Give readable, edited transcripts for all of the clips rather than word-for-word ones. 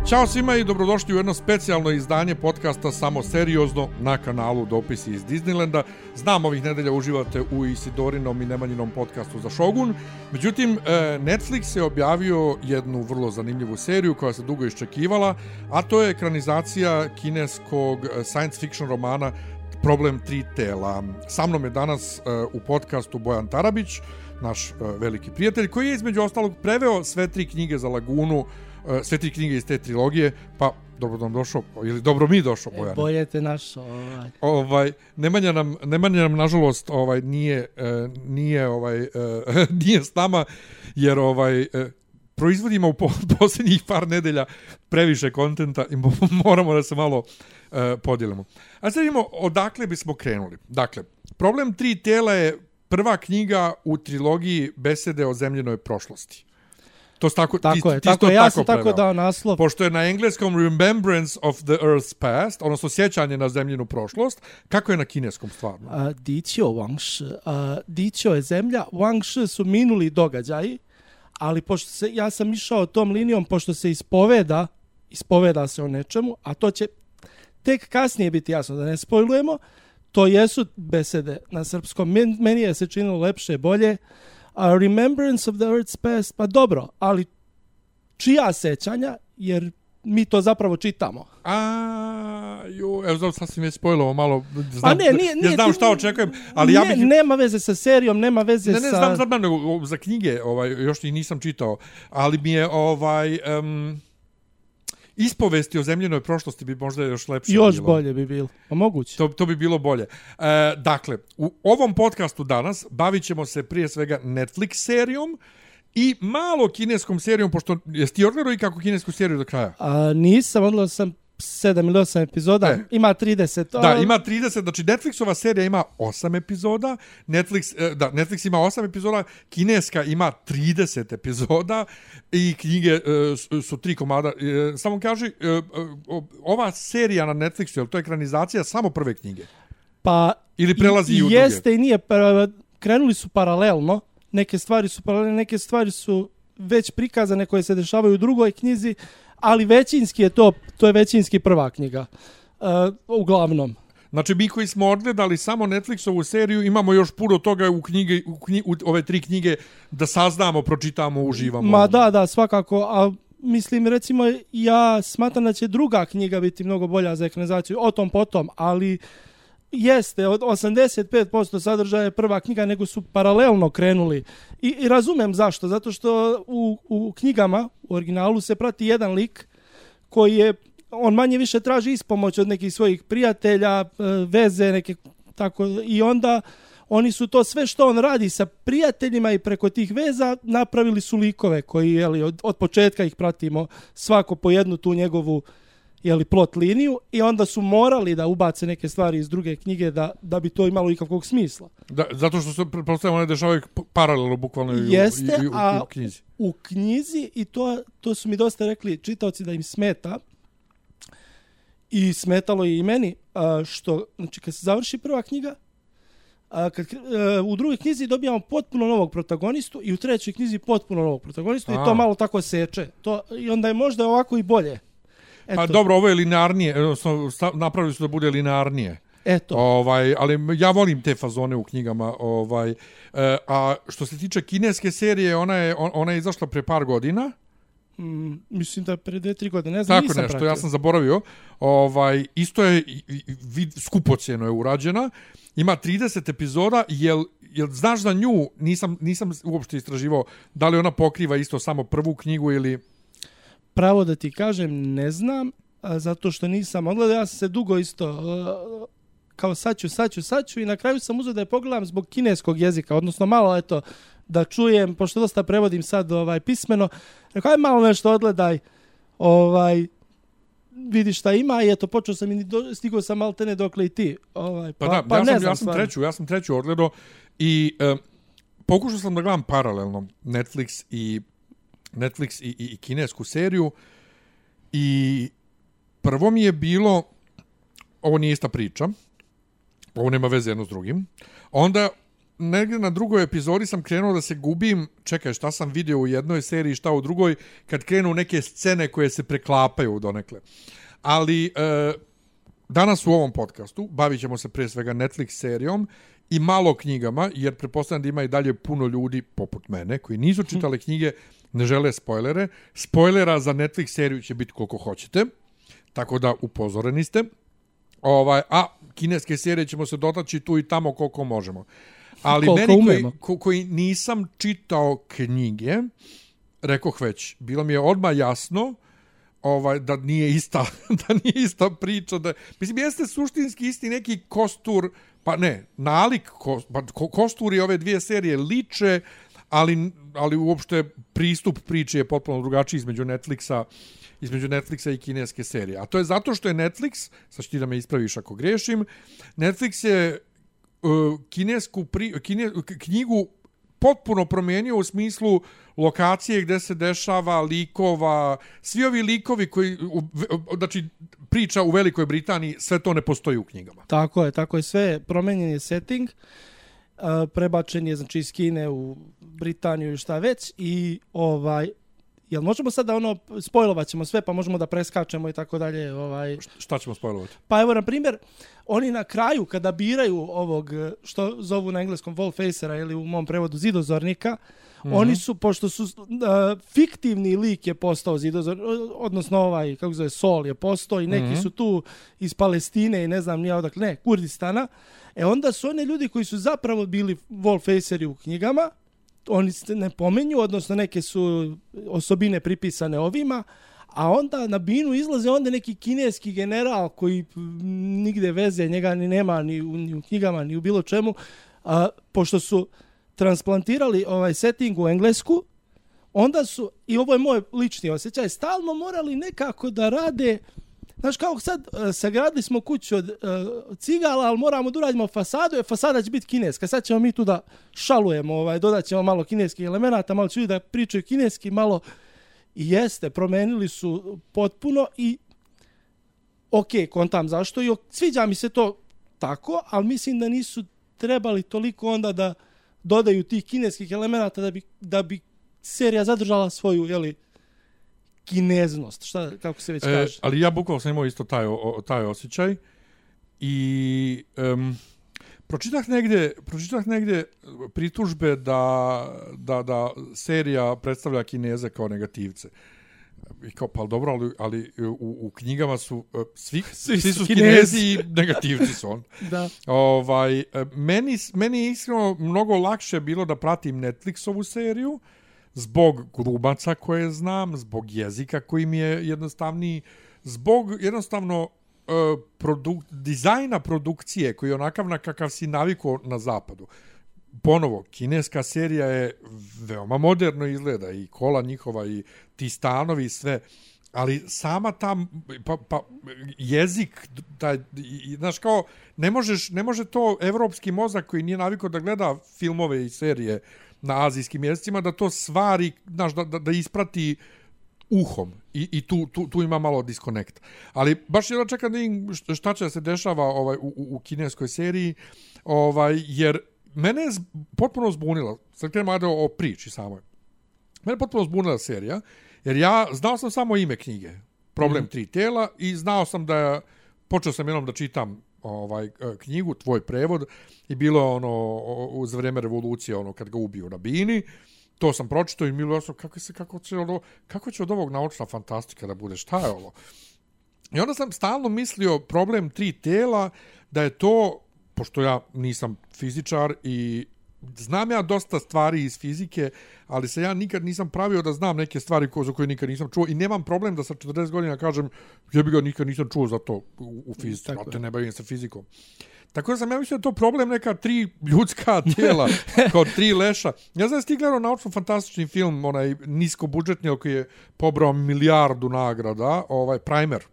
Ćao svima i dobrodošli u jedno specijalno izdanje podcasta Samo seriozno na kanalu Dopisi iz Disneylanda. Znam, ovih nedelja uživate u Isidorinom i Nemanjinom podcastu za Shogun. Međutim, Netflix je objavio jednu vrlo zanimljivu seriju koja se dugo iščekivala, a to je ekranizacija kineskog science fiction romana Problem tri tela. Sa mnom je danas u podcastu Bojan Tarabić, naš veliki prijatelj, koji je između ostalog preveo sve tri knjige za Lagunu, sve tri knjige iz te trilogije, pa dobro nam došao, ili dobro mi došao, Bojan. Bolje te našao. Nemanja nam nažalost nije nije s nama, jer proizvodimo u posljednjih par nedelja previše kontenta i moramo da se malo podijelimo. A sad vidimo odakle bismo krenuli. Dakle, Problem tri tela je prva knjiga u trilogiji Besede o zemljenoj prošlosti. To tako je, ja sam tako dao naslov. Pošto je na engleskom Remembrance of the Earth's Past, odnosno sjećanje na zemljenu prošlost, kako je na kineskom stvarno? Diqiu Wangshi. Diqiu je zemlja, Wangshi su minuli događaji, ali pošto ja sam išao tom linijom, pošto se ispoveda se o nečemu, a to će tek kasnije biti jasno, da ne spojlujemo, to jesu besede na srpskom. Meni je se činilo lepše, bolje. Remembrance of the Earth's Past, pa dobro, ali čija sećanja, jer mi to zapravo čitamo. Evo sad si me spojilo malo, znam šta očekujem, ali nema veze sa serijom, nema veze sa... Znam, nego za knjige, još ih nisam čitao, ali mi je ispovesti o zemljenoj prošlosti bi možda još lepše bilo. Još bolje bi bilo, moguće. To bi bilo bolje. Dakle, u ovom podcastu danas bavit ćemo se prije svega Netflix serijom i malo kineskom serijom, pošto jesi ti odgledao i kako kinesku seriju do kraja? Nisam, odgledao sam 7 ili 8 epizoda, ima 30. Da, ima 30, znači Netflixova serija ima 8 epizoda, Netflix ima 8 epizoda, kineska ima 30 epizoda i knjige su 3 komada. Samo kaži, ova serija na Netflixu, je li to ekranizacija samo prve knjige? Pa, ili prelazi i u druge? Jeste i nije, krenuli su paralelno, neke stvari su paralelne, neke stvari su već prikazane koje se dešavaju u drugoj knjizi, ali većinski je to je većinski prva knjiga, uglavnom. Znači, mi koji smo odgledali samo Netflixovu seriju, imamo još puno toga u ove tri knjige da saznamo, pročitamo, uživamo. Ma da, svakako, a mislim, recimo, ja smatram da će druga knjiga biti mnogo bolja za ekranizaciju, o tom potom, ali jeste, od 85% sadržaja je prva knjiga, nego su paralelno krenuli. I razumem zašto, zato što u knjigama, u originalu, se prati jedan lik koji je, on manje više traži ispomoć od nekih svojih prijatelja, veze, neke tako, i onda oni su to sve što on radi sa prijateljima i preko tih veza napravili su likove koji, od početka ih pratimo svako po jednu tu njegovu plot liniju, i onda su morali da ubace neke stvari iz druge knjige da bi to imalo ikakvog smisla. Da, zato što se pretpostavljamo ne dešavaju paralelno bukvalno u knjizi. U knjizi, i to su mi dosta rekli čitaoci da im smeta, i smetalo je i meni, što, znači, kad se završi prva knjiga, u drugoj knjizi dobijamo potpuno novog protagonistu i u trećoj knjizi potpuno novog protagonistu i to malo tako seče. I onda je možda ovako i bolje. Eto. Pa dobro, ovo je linearnije, napravili su da bude linearnije. Eto. Ali ja volim te fazone u knjigama. A što se tiče kineske serije, ona je izašla pre par godina. Mislim da pre 2-3 godine, ne znam, tako nisam nešto, pratio. Ja sam zaboravio. Isto je skupocjeno je urađena. Ima 30 epizoda. Jel znaš za nju, nisam uopšte istraživao, da li ona pokriva isto samo prvu knjigu ili... Pravo da ti kažem, ne znam, zato što nisam odgledao. Ja sam se dugo isto kao sad ću i na kraju sam uzeo da je pogledam zbog kineskog jezika, odnosno malo da čujem, pošto dosta prevodim sad pismeno. Rekao, aj malo nešto odgledaj, vidi šta ima, i eto, počeo sam i stigao sam maltene dokle i ti. Ja sam treću odgledao i pokušao sam da gledam paralelno Netflix i kinesku seriju, i prvo mi je bilo, ovo nije ista priča, ovo nema veze jedno s drugim, onda negdje na drugoj epizodi sam krenuo da se gubim, čekaj, šta sam vidio u jednoj seriji, šta u drugoj, kad krenu neke scene koje se preklapaju donekle. Ali danas u ovom podcastu bavit ćemo se pre svega Netflix serijom i malo knjigama, jer pretpostavljam da ima i dalje puno ljudi poput mene koji nisu čitali knjige, ne žele spoilere. Spoilera za Netflix seriju će biti koliko hoćete, tako da upozoreni ste. A kineske serije ćemo se dotaći tu i tamo koliko možemo. Ali meni koji nisam čitao knjige, rekoh već, bilo mi je odmah jasno da nije ista priča. Mislim, jeste suštinski isti neki kostur, pa ne, nalik, kosturi ove dvije serije liče, ali uopšte pristup priče je potpuno drugačiji između Netflixa i kineske serije. A to je zato što je Netflix, sad ti da me ispraviš ako grešim, Netflix je knjigu potpuno promijenio u smislu lokacije gdje se dešava, likova, svi ovi likovi koji, znači priča u Velikoj Britaniji, sve to ne postoji u knjigama. Tako je, sve promijenjen je setting, prebačen je znači iz Kine u Britaniju i šta već i jel možemo sad da spojlovat ćemo sve pa možemo da preskačemo i tako dalje? Šta ćemo spojlovati? Pa evo, na primjer, oni na kraju kada biraju ovog, što zovu na engleskom wallfacera ili u mom prevodu zidozornika, oni su, pošto su fiktivni lik je postao zidozor, odnosno kako zove, Sol je postao i neki su tu iz Palestine i ne znam nije odakle, Kurdistana, onda su oni ljudi koji su zapravo bili wallfaceri u knjigama, oni se ne pomenju, odnosno neke su osobine pripisane ovima, a onda na binu izlaze onda neki kineski general koji nigde veze njega ni nema ni u knjigama, ni u bilo čemu, pošto su transplantirali setting u Englesku, onda su, i ovo je moj lični osjećaj, stalno morali nekako da rade, znaš kao sad, sagradili smo kuću od cigala, ali moramo da uradimo fasadu, fasada će biti kineska, sad ćemo mi tu da šalujemo, dodat ćemo malo kineskih elemenata, malo će ljudi da pričaju kineski, malo i jeste, promenili su potpuno i kontam zašto i sviđa mi se to tako, ali mislim da nisu trebali toliko onda da dodaju tih kineskih elemenata da bi serija zadržala svoju, kineznost, kako se već kaže. Ali ja bukvalno sam imao isto taj osjećaj i pročitah negdje pritužbe da serija predstavlja Kineze kao negativce. I kao, pa dobro, ali u knjigama su svi su Kinezi i negativci su on. Da. Meni je iskreno mnogo lakše bilo da pratim Netflixovu seriju, zbog glumaca koje znam, zbog jezika koji mi je jednostavniji, zbog jednostavno dizajna produkcije koji je onakav na kakav si navikao na zapadu. Ponovo, kineska serija je veoma moderno izgleda i kola njihova i ti stanovi i sve, ali sama tam jezik, znaš kao, ne može to evropski mozak koji nije navikao da gleda filmove i serije na azijskim jezicima, da to stvari, znaš, da isprati uhom i tu ima malo diskonekt. Ali baš jedno čekam da im šta će se dešava u kineskoj seriji, jer mene je potpuno zbunila, sad krenemo o priči samoj, mene je potpuno zbunila serija, jer ja znao sam samo ime knjige, Problem tri tela, i znao sam počeo sam jednom da čitam knjigu, tvoj prevod, i bilo za vrijeme revolucije, kad ga ubiju na bini, to sam pročitao i bilo kako će od ovog naučna fantastika da bude, šta je ovo? I onda sam stalno mislio Problem tri tela, da je to, pošto ja nisam fizičar i znam ja dosta stvari iz fizike, ali se ja nikad nisam pravio da znam neke stvari za koje nikad nisam čuo i nemam problem da sa 40 godina kažem jebi ga, nikad nisam čuo za to u fizici, a te ne bavim se fizikom. Tako da sam ja mislio da to problem neka 3 ljudska tijela, kao 3 leša. Ja znam da ti gledao naučno-fantastični film, onaj niskobudžetni, koji je pobrao milijardu nagrada, Primer.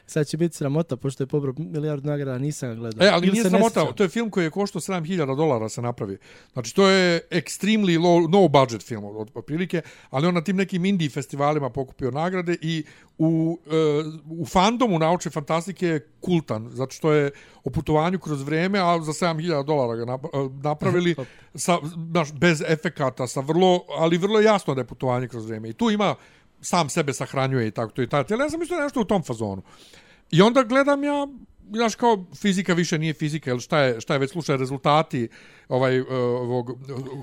Sad će biti sramota, pošto je pobrao milijardu nagrada, nisam ga gledao. Ali nije sramota, to je film koji je koštao $7.000 se napravi. Znači, to je extremely low, no budget film, otprilike, ali on na tim nekim indie festivalima pokupio nagrade i u fandomu naučne fantastike je kultan, zato što je o putovanju kroz vreme, a za $7.000 ga napravili bez efekata, ali vrlo jasno da je putovanje kroz vreme. I tu ima sam sebe sahranjuje i tako to i tako. Ja sam mislio nešto u tom fazonu. I onda gledam ja, znaš, kao fizika više nije fizika, ili šta je već slučaj, rezultati ovog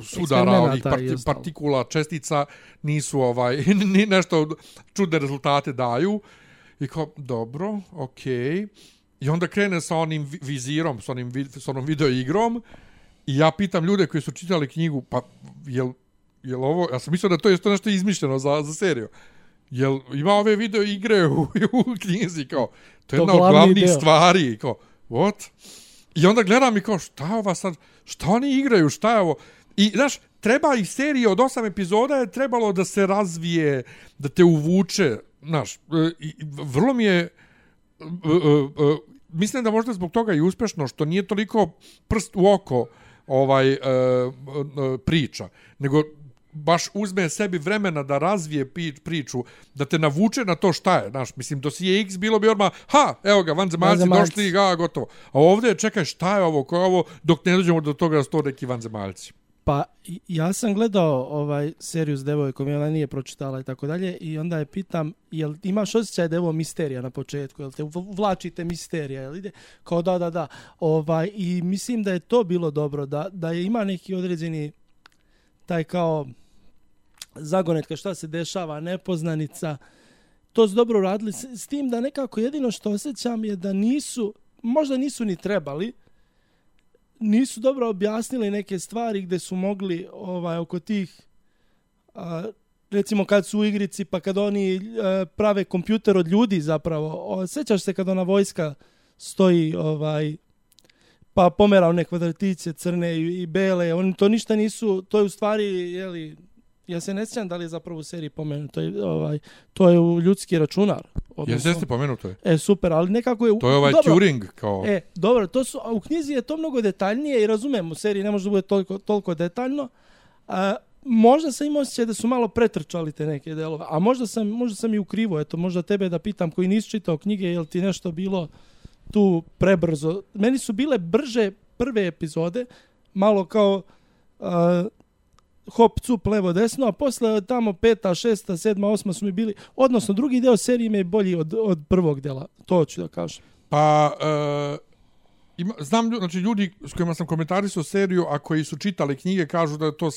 sudara, ovih partikula, čestica nisu ni nešto čudne rezultate daju. I kao, dobro, okej. I onda krene sa onim vizirom, sa onom video igrom i ja pitam ljude koji su čitali knjigu, pa jel ovo, ja sam mislio da to je nešto izmišljeno za seriju. Jel ima ove video igre u knjizi, kao, to je jedna od glavnih stvari, kao, what? I onda gledam i kao, šta je ova sad, šta oni igraju, šta je ovo? I, znaš, treba i serije od 8 epizoda je trebalo da se razvije, da te uvuče, znaš, vrlo mi je, mislim da možda zbog toga i uspešno, što nije toliko prst u oko priča, nego baš uzme sebi vremena da razvije priču, da te navuče na to šta je. Znaš, mislim, dosije X bilo bi odmah, evo ga, vanzemaljci došli, gotovo. A ovdje, čekaj, šta je ovo, ko je ovo, dok ne dođemo do toga da su to neki vanzemaljci. Pa, ja sam gledao seriju s devojkom, i ona nije pročitala i tako dalje, i onda je pitam, jel imaš osjećaj da je ovo misterija na početku, jel te vlačite misterija, jel ide? Kao da. I mislim da je to bilo dobro, da je ima neki određeni taj kao zagonetka šta se dešava, nepoznanica, to su dobro radili, s tim da nekako jedino što osjećam je da možda nisu ni trebali, nisu dobro objasnili neke stvari gdje su mogli oko tih, recimo kad su u igrici, pa kad oni prave kompjuter od ljudi zapravo, sjećaš se kad ona vojska stoji, pa pomera one kvadratiće crne i bele, oni to ništa nisu, to je u stvari, ja se ne sjećam da li je zapravo u seriji pomenuto, to je u ljudski računar. Jeste pomenuto je. Super, ali nekako je... To je Turing kao... Dobro, u knjizi je to mnogo detaljnije i razumijem, u seriji ne može da bude toliko detaljno. Možda sam imao osjećaj da su malo pretrčali te neke delove, a možda sam i u krivu, možda tebe da pitam koji nisi čitao knjige, je li ti nešto bilo tu prebrzo. Meni su bile brže prve epizode, malo kao hop, cup, levo, desno, a posle tamo 5., 6., 7., 8. su mi bili, odnosno drugi deo serije mi je bolji od prvog dela, to ću da kažem. Pa, znam, znači ljudi s kojima sam komentarisao seriju, a koji su čitali knjige, kažu da je to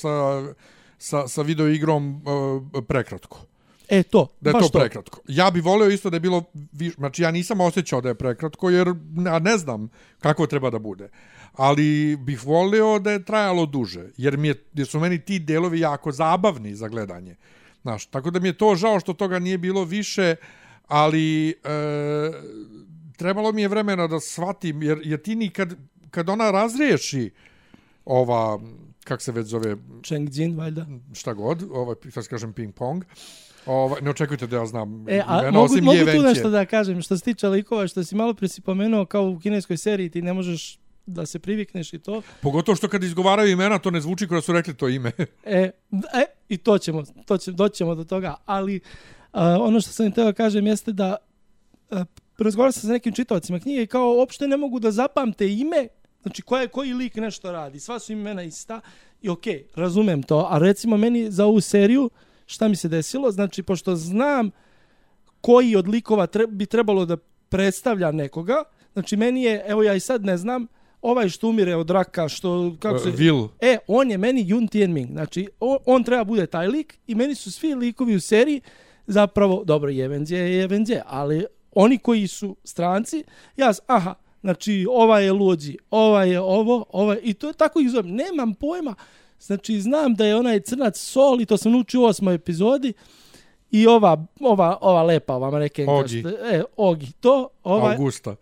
sa video igrom prekratko. Da je to prekratko. Ja bih voleo isto da je bilo, znači ja nisam osjećao da je prekratko, jer ne znam kako treba da bude. Ali bih voleo da je trajalo duže, jer su meni ti delovi jako zabavni za gledanje. Znaš, tako da mi je to žao što toga nije bilo više, ali trebalo mi je vremena da shvatim, jer ti kad ona razriješi kak se već zove... Cheng-Jin, valjda. Šta god, sad kažem ping-pong. Ne očekujte da ja znam imena, osim mogu tu nešto da kažem, što se tiče likova, što si malo presi pomenuo, kao u kineskoj seriji ti ne možeš da se privikneš i to. Pogotovo što kad izgovaraju imena, to ne zvuči kao da su rekli to ime. I doćemo do toga, ali ono što sam htio da kažem jeste da razgovarao sam sa nekim čitaocima knjige i kao uopšte ne mogu da zapamte ime, znači koji lik nešto radi, sva su imena ista i okej, razumem to, a recimo meni za ovu seriju šta mi se desilo, znači pošto znam koji od likova bi trebalo da predstavlja nekoga, znači meni je, evo ja i sad ne znam, ovaj što umire od raka, što... Kako se, Will. On je meni Yun Tianming, znači on treba bude taj lik i meni su svi likovi u seriji zapravo, dobro, Jevenzje, ali oni koji su stranci, znači ovaj je Luoji, ovaj je ovo, i to je tako ih zovem, nemam pojma, znači znam da je onaj crnac Sol i to sam naučio u 8. epizodi i ova lepa, ova manekenka. Ogi, to. Augusta.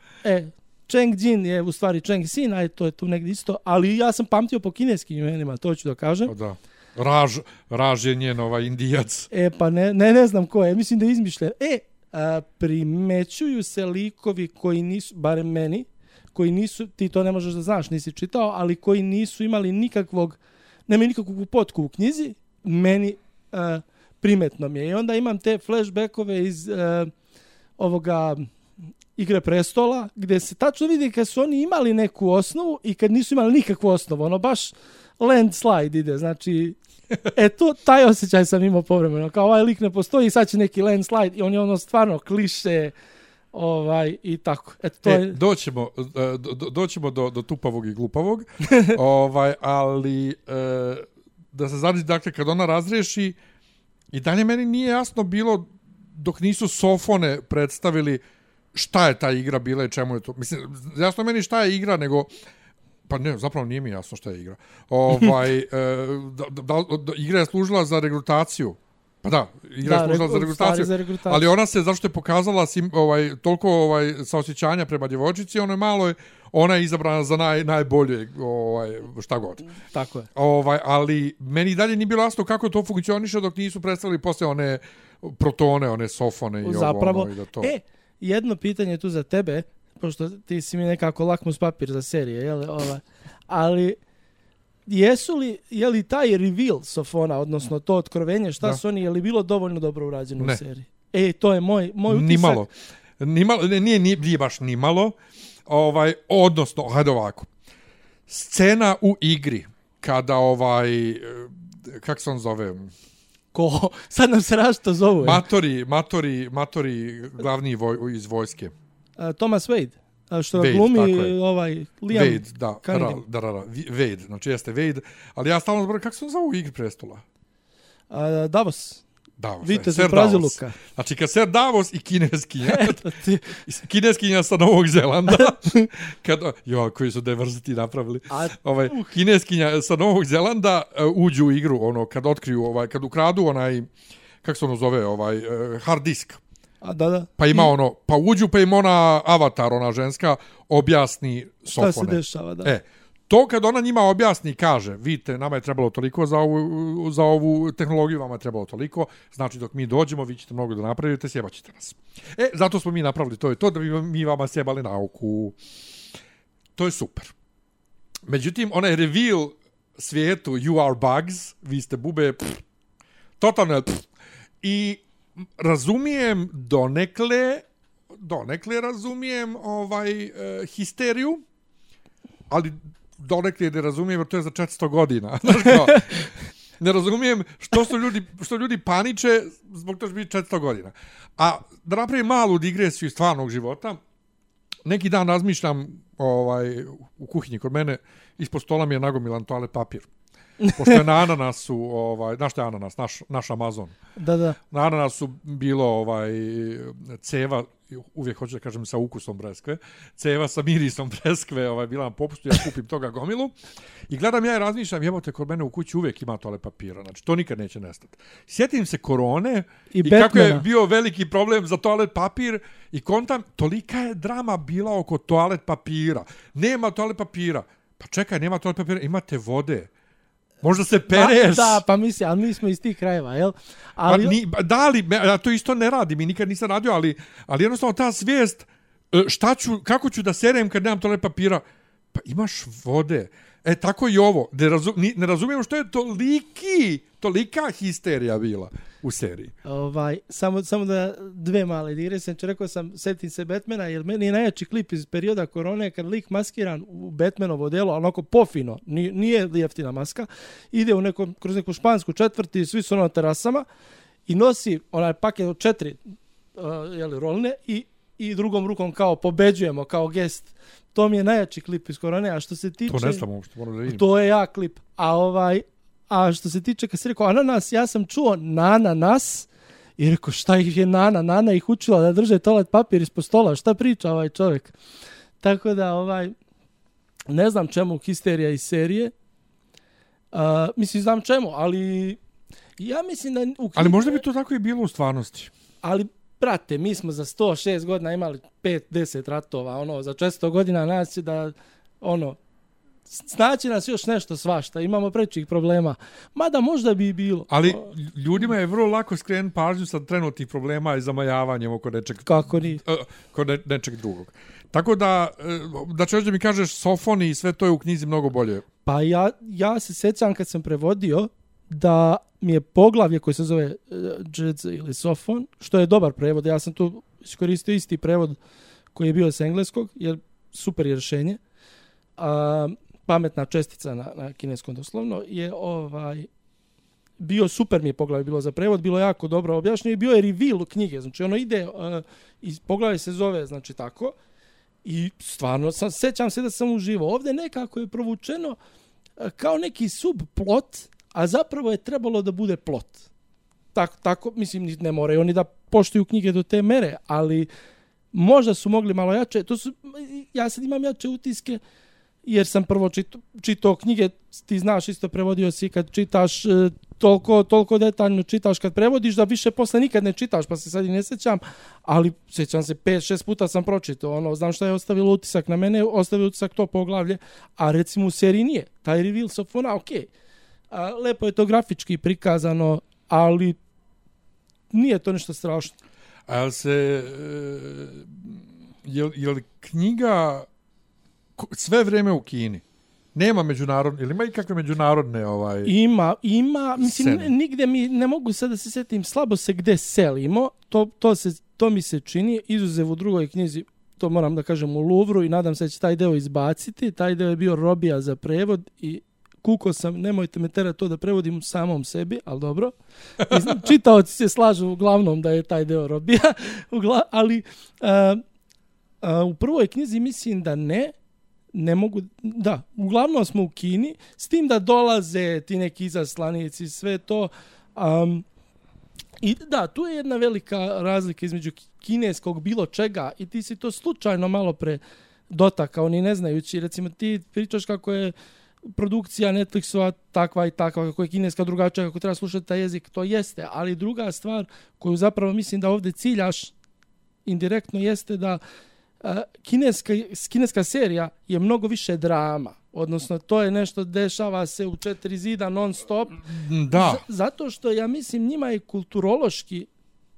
Cheng-Jin je u stvari Cheng-Sin, to je tu negdje isto, ali ja sam pamtio po kineskim imenima, to ću da kažem. Da. Raž je njen Indijac. Pa ne znam ko je, mislim da je izmišljen. primećuju se likovi koji nisu, barem meni, koji nisu, ti to ne možeš da znaš, nisi čitao, ali koji nisu imali nemaju nikakvu potku u knjizi, meni primetno mi je. I onda imam te flashbackove iz ovoga Igre prestola, gdje se tačno vidi kad su oni imali neku osnovu i kad nisu imali nikakvu osnovu. Ono baš landslide ide, znači taj osjećaj sam imao povremeno. Kao ovaj lik ne postoji i sad će neki landslide i on je ono stvarno kliše i tako. Doćemo do tupavog i glupavog, ali da se znači, dakle, kad ona razriješi, i dalje meni nije jasno bilo dok nisu Sofone predstavili šta je ta igra bila i čemu je to. Mislim, jasno meni šta je igra, nego pa ne, zapravo nije mi jasno šta je igra. Igra je služila za regrutaciju. Pa da, igra je služila za regrutaciju. Ali ona se, zašto je pokazala toliko saosjećanja prema djevojčici, ona je izabrana za najbolje šta god. Tako je. Ali meni dalje nije bilo jasno kako to funkcioniše dok nisu predstavili posle one protone, one Sofone i zapravo, i da to. Jedno pitanje tu za tebe, pošto ti si mi nekako lakmus papir za serije, jel? Ali je li taj reveal Sofona, odnosno to otkrovenje, šta su oni, je li bilo dovoljno dobro urađeno u seriji? To je moj utisak. Nimalo, nije baš nimalo. Odnosno, hajde ovako. Scena u igri, kada kak se on zove? Ko? Sad nam se različito zovu. Matori glavni iz vojske. Thomas Wade. Što Wade, glumi Liam Wade, da, Wade, znači jeste Wade, ali ja stalno zborim, kako se on zove u Igri prestola? Davos, Vitez u Praziluka. Znači kad Ser Davos i kineskinja sa Novog Zelanda, koji su diversity napravili, kineskinja sa Novog Zelanda uđu u igru, kad otkriju, kad ukradu kako se ono zove, hard disk. Da. Pa ima pa uđu, pa im ona avatar, ona ženska, objasni Sofone. Šta se dešava, da. To kad ona njima objasni, kaže, vidite, nama je trebalo toliko za ovu tehnologiju, vama je trebalo toliko, znači dok mi dođemo, vi ćete mnogo da napravite, sjebaćete nas. Zato smo mi napravili to da bi mi vama sjebali nauku. To je super. Međutim, onaj reveal svijetu, you are bugs, vi ste bube, totalno, i razumijem donekle razumijem histeriju, ali donekle ne razumijem jer to je za 400 godina. Znaš kao, ne razumijem što ljudi paniče zbog toga što bi 400 godina. A da napravim malu digresiju iz stvarnog života, neki dan razmišljam u kuhinji kod mene, ispod stola mi je nagomilan toalet papir. Pošto je na ananasu, znaš što je ananas, naš Amazon. Da. Na ananasu bilo ceva, uvijek hoću da kažem sa ukusom breskve, ceva sa mirisom breskve, bila na popustu, ja kupim toga gomilu. I gledam ja i razmišljam, jebote, kod mene u kući uvijek ima toalet papira, znači to nikad neće nestati. Sjetim se korone i kako je bio veliki problem za toalet papir i kontam, tolika je drama bila oko toalet papira. Nema toalet papira. Pa čekaj, nema toalet papira, imate vode. Možda se pereš. Da, pa mislim, ali mi smo iz tih krajeva, jel? Ja to isto ne radim i nikad nisam radio, ali jednostavno ta svijest, kako ću da serem kad nemam toalet papira? Pa imaš vode. Tako i ovo. Ne razumijem što je tolika histerija bila u seriji. Samo da dve male digresije. Rekao sam, setim se Batmana, jer meni je najjači klip iz perioda korone, kad lik maskiran u Batmanovo delo, onako pofino, nije jeftina maska, ide kroz neku špansku četvrti, svi su na terasama i nosi onaj paket od 4 rolne i drugom rukom kao pobeđujemo, kao gest. To mi je najjači klip iz korone, a što se tiče... To ne znam uopšte, moram da vidim. To je jak klip. A što se tiče, kad si rekao ananas, ja sam čuo ananas i rekao šta ih je Nana ih učila da drže toalet papir ispod stola, šta priča ovaj čovjek. Tako da, ne znam čemu histerija iz serije. Mislim, znam čemu, ali ja mislim da... Ali možda bi to tako i bilo u stvarnosti. Ali, brate, mi smo za 106 godina imali 5-10 ratova, za 400 godina nas će da, snaći nas još nešto svašta, imamo prečih problema. Mada možda bi bilo. Ali ljudima je vrlo lako skrenuti pažnju sa trenutnih problema i zamajavanjem oko nečeg, kako ni? Nečeg drugog. Tako da ćeš da mi kažeš Sofoni i sve to je u knjizi mnogo bolje. Pa ja se sjećam kad sam prevodio da mi je poglavlje koje se zove Džedz ili Sofon, što je dobar prevod. Ja sam tu iskoristio isti prevod koji je bio s engleskog, jer super je rješenje. Pametna čestica na kineskom doslovno je bio super mi je poglavlje bilo za prevod, bilo jako dobro objašnjeno i bio je reveal knjige, znači ono ide iz poglavlje se zove znači tako i stvarno sjećam se da sam uživao. Ovdje nekako je provučeno kao neki subplot, a zapravo je trebalo da bude plot. Tako mislim ne moraju oni da poštuju knjige do te mere, ali možda su mogli malo jače. Ja sad imam jače utiske jer sam prvo čitao knjige, ti znaš isto prevodio si kad čitaš toliko detaljno čitaš kad prevodiš da više posle nikad ne čitaš, pa se sad i ne sjećam, ali sjećam se 5-6 puta sam pročitao, znam šta je ostavilo utisak na mene, ostavio utisak to poglavlje, a recimo u seriji nije. Taj reveal Sofona, okej. Lepo je to grafički prikazano, ali nije to nešto strašno. Je li knjiga sve vrijeme u Kini? Nema međunarodne, ili ima i kakve međunarodne Ima, mislim, nigde mi, ne mogu sad da se sjetim, slabo se gde selimo, to mi se čini, izuzev u drugoj knjizi, to moram da kažem u Louvru i nadam se da će taj deo izbaciti, taj deo je bio robija za prevod i kuko sam, nemojte me terati to da prevodim u samom sebi, ali dobro. Čitaoci se slažu uglavnom da je taj deo robija, ali u prvoj knjizi mislim da ne mogu, da, uglavnom smo u Kini, s tim da dolaze ti neki izaslanici, sve to. I da, tu je jedna velika razlika između kineskog bilo čega i ti si to slučajno malo pre dotakao, ni ne znajući. Recimo ti pričaš kako je produkcija Netflixova takva i takva, kako je kineska drugačija, kako treba slušati taj jezik, to jeste. Ali druga stvar koju zapravo mislim da ovdje ciljaš indirektno jeste da kineska serija je mnogo više drama. Odnosno, to je nešto dešava se u 4 zida non stop. Da. Zato što ja mislim njima je kulturološki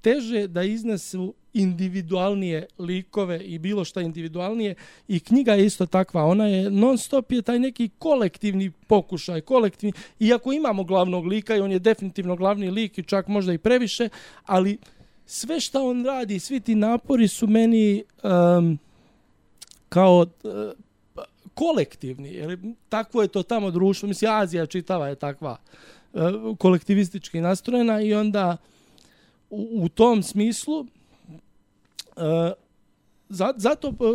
teže da iznesu individualnije likove i bilo šta individualnije i knjiga je isto takva. Ona je non stop je taj neki kolektivni pokušaj, kolektivni, iako imamo glavnog lika i on je definitivno glavni lik i čak možda i previše, ali sve što on radi, svi ti napori su meni kao kolektivni, jer takvo je to tamo društvo, mislim Azija čitava je takva kolektivistički nastrojena i onda u tom smislu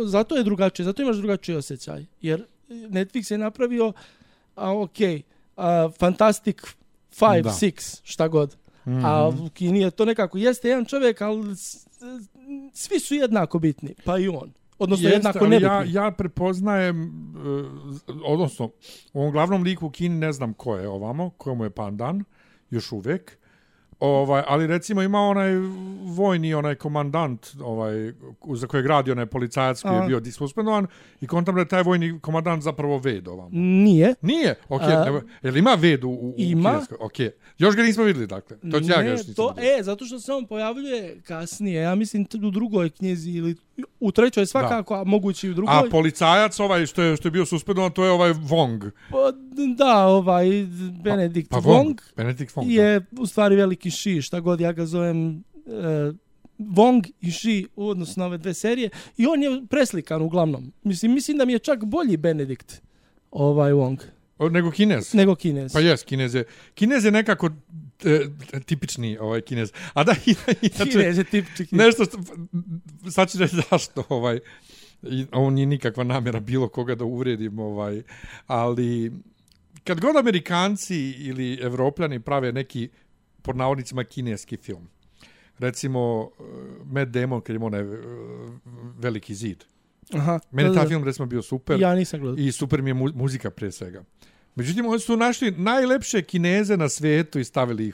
zato je drugačije, zato imaš drugačiji osjećaj, jer Netflix je napravio Fantastic 5, 6, šta god. Mm-hmm. A u Kini je to nekako, jeste jedan čovjek, ali svi su jednako bitni, pa i on. Odnosno jednako nebitni. Ja prepoznajem, odnosno u ovom glavnom liku u Kini ne znam ko je ovamo, ko mu je pandan, još uvijek. Ali recimo ima onaj vojni, onaj komandant, za kojeg radi onaj policajac koji je bio dissuspendovan i kontam da je taj vojni komandant zapravo Ved ovamo. Nije. Nije? Jel ima Ved u kineskoj? Okay. Još ga nismo vidjeli, dakle. To će ja ga još nisam vidjeli. Zato što se on pojavljuje kasnije. Ja mislim u drugoj knjizi ili u trećoj svakako, a mogući i u drugoj. A policajac što je bio suspendovan, to je ovaj Wong. Da, Benedict Wong. Benedict Wong je u stvari veliki Shi, šta god ja ga zovem Wong i Shi u odnosu na ove dve serije i on je preslikan uglavnom. Mislim da mi je čak bolji Benedict Wong. Nego Kinez? Nego Kinez. Pa jes, Kinez je nekako tipični Kinez. A da, Kinez je tipični. Nešto, sad ću reći zašto, ovo nije nikakva namjera bilo koga da uvredim, ali kad god Amerikanci ili Evropljani prave neki, pod navodnicima, kineski film, recimo Matt Damon kad ima onaj Veliki zid. Aha, meni taj film recimo bio super. Ja nisam gledao. I super mi je muzika prije svega. Međutim, oni su našli najlepše Kineze na svijetu i stavili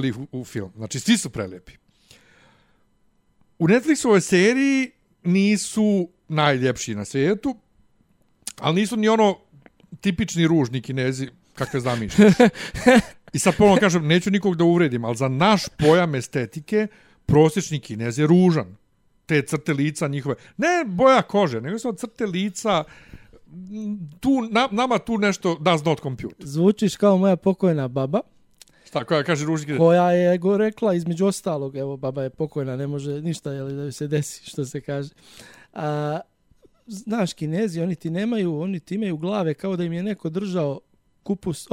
ih u film. Znači, svi su prelijepi. U Netflixovoj seriji nisu najljepši na svijetu, Ali nisu ni ono tipični ružni Kinezi kakve zamišljaš. I sad ponovno kažem, neću nikog da uvredim, ali za naš pojam estetike prosječni Kinez je ružan. Te crte lica njihove. Ne boja kože, nego su crte lica. Nama tu nešto does not compute. Zvučiš kao moja pokojna baba. Šta, koja kaže ružni? Koja je rekla između ostalog, evo baba je pokojna, ne može ništa da joj se desi, što se kaže. Znaš, Kinezi, oni ti imaju glave kao da im je neko držao kupus,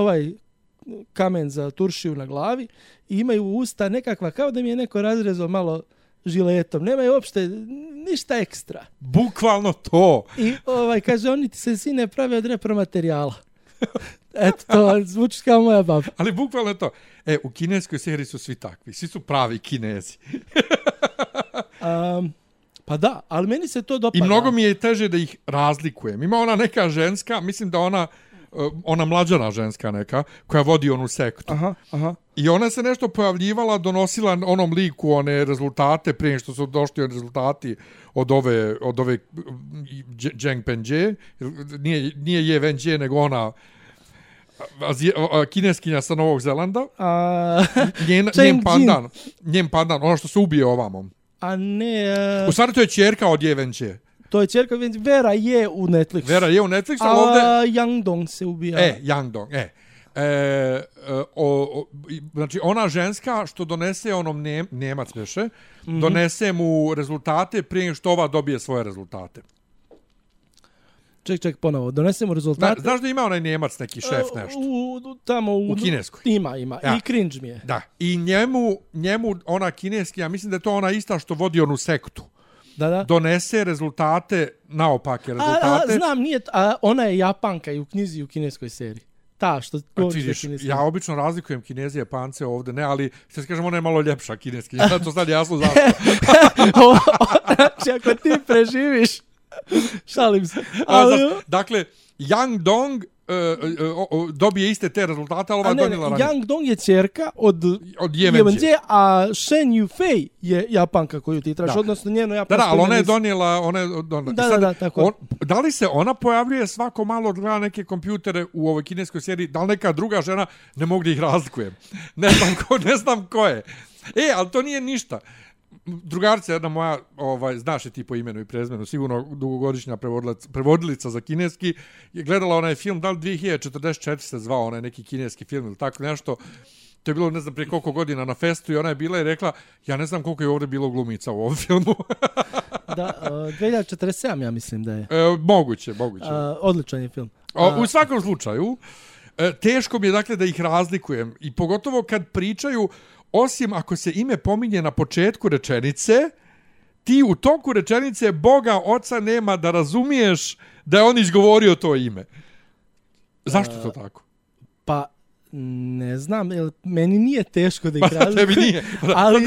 kamen za turšiju na glavi i imaju usta nekakva kao da im je neko razrezao malo žiletom. Nemaju uopšte ništa ekstra. Bukvalno to. I kaže, oni ti se sine prave od repromaterijala. Eto, to zvuči kao moja baba. Ali bukvalno to. U kineskoj seriji su svi takvi. Svi su pravi Kinezi. Pa da, ali meni se to dopada. I mnogo mi je teže da ih razlikujem. Ima ona neka ženska, mislim da ona mlađana ženska neka, koja vodi onu sektu. Aha. I ona se nešto pojavljivala, donosila onom liku one rezultate prije što su došli rezultati od ove Zheng Pengje. Nije Ye Wenjie, nego ona kineskinja sa Novog Zelanda. Njen pandan, ono što se ubije ovamo. A ne... U stvari to je ćerka od Ye Wenjie. To je ćerka, Vera je u Netflixu. Vera je u Netflixu, ali ovdje... Yang Dong se ubija. Yang Dong, znači ona ženska što donese onom Njemac veše, donese mu rezultate prije što ova dobije svoje rezultate. Ček, ponovo. Donese mu rezultate. Znaš da ima onaj Njemac neki šef nešto? U kineskoj. Ima. Ja. I cringe mi je. Da. I njemu ona kineski, ja mislim da je to ona ista što vodi onu sektu. Da. Donese rezultate, naopake rezultate. Znam, nije, ona je Japanka i u knjizi i u kineskoj seriji. Ta što vidiš, ja obično razlikujem Kineze i Japance ovdje, ne, ali što se kažem, ona je malo ljepša kineski. To sad jasno zašto. Znači, ako ti preživiš, šalim se. Dakle, Yang Dong dobije iste te rezultate, ali ova je donijela ranije. Yang Dong je ćerka od Ye Wenjie, a Shen Yufei je Japanka koju ti tražiš, odnosno njeno japansko. Da, ali ona je donijela... Da, tako. Da li se ona pojavljuje svako malo gleda neke kompjutere u ovoj kineskoj seriji, da li neka druga žena, ne mogu da ih razlikujem. Ne znam ko je. Ali to nije ništa. Drugarica jedna moja, znaš je ti po imenu i prezmenu, sigurno dugogodišnja prevodilica za kineski, je gledala onaj film, da li 2044 se zvao onaj neki kineski film ili tako nešto. To je bilo, ne znam, prije koliko godina na festu i ona je bila i rekla, ja ne znam koliko je ovdje bilo glumica u ovom filmu. Da, 2047 ja mislim da je. Moguće. Odličan je film. U svakom slučaju, teško mi je dakle da ih razlikujem i pogotovo kad pričaju, osim ako se ime pominje na početku rečenice, ti u toku rečenice Boga Oca nema da razumiješ da je on izgovorio to ime. Zašto to tako? Pa, ne znam, meni nije teško da ih razlikujem. Tebi nije. Ali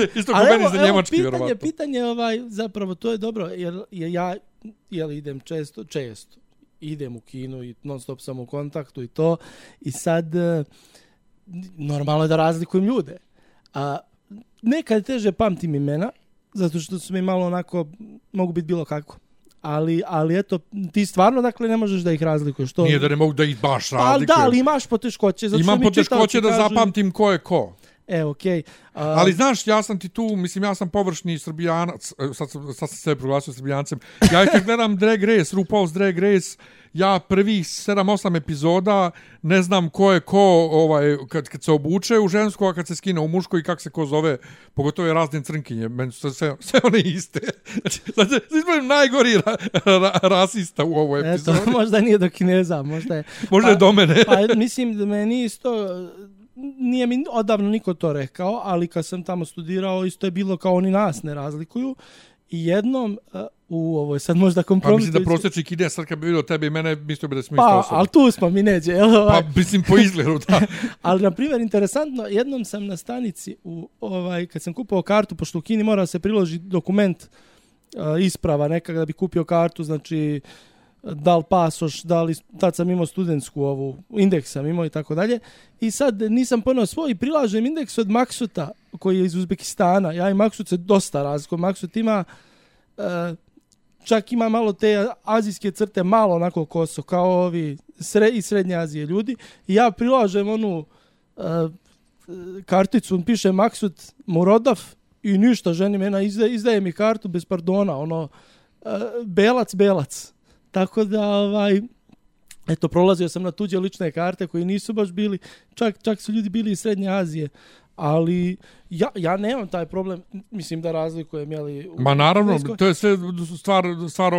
meni za njemački, vjerovatno. Pitanje, zapravo, to je dobro, jer ja idem često, idem u kino i non stop sam u kontaktu i to, i sad normalno je da razlikujem ljude. Nekad teže pamtim imena, zato što su mi malo onako, mogu biti bilo kako. Ali eto, ti stvarno dakle ne možeš da ih razlikuješ. Nije da ne mogu da ih baš razlikujem. Da, ali imaš poteškoće. Imam poteškoće da zapamtim ko je ko. Okej. Ali znaš, ja sam ti tu, mislim, ja sam površni Srbijanac, sad sam se proglasio Srbijancem. Ja kad gledam Drag Race, RuPaul's Drag Race, ja prvih 7-8 epizoda ne znam ko je ko kad se obuče u žensku, a kad se skine u muško i kako se ko zove, pogotovo je razne crnkinje, meni su sve one iste. Znači, izbavim najgori rasista u ovoj epizodi. Eto, možda nije do Kineza, možda je do mene. Pa mislim da meni isto... Nije mi odavno niko to rekao, ali kad sam tamo studirao, isto je bilo kao oni nas ne razlikuju. I jednom, ovo je sad možda kompromitujući... Pa mislim da prosječni Kines, sad kad bi vidio tebe i mene, mislio bi da smo isto osobe. Ali tu smo mi neđe. Pa mislim po izgledu, da. Ali, na primjer, interesantno, jednom sam na stanici, kad sam kupao kartu, pošto u Kini mora se priložiti dokument isprava neka da bi kupio kartu, znači... da li pasoš, tad sam imao studentsku indeks sam imao i tako dalje. I sad nisam ponao svoj, prilažem indeks od Maksuta, koji je iz Uzbekistana. Ja i Maksut se dosta razlikujem. Maksut ima čak ima malo te azijske crte, malo onako koso, kao ovi iz Srednje Azije ljudi. I ja prilažem onu karticu, piše Maksud Murodov i ništa, ženi mena izdaje mi kartu bez pardona, ono, belac. Tako da, eto, prolazio sam na tuđe lične karte koji nisu baš bili, čak su ljudi bili iz Srednje Azije, ali ja nemam taj problem, mislim da razlikujem, jeli... Ma naravno, to je sve stvar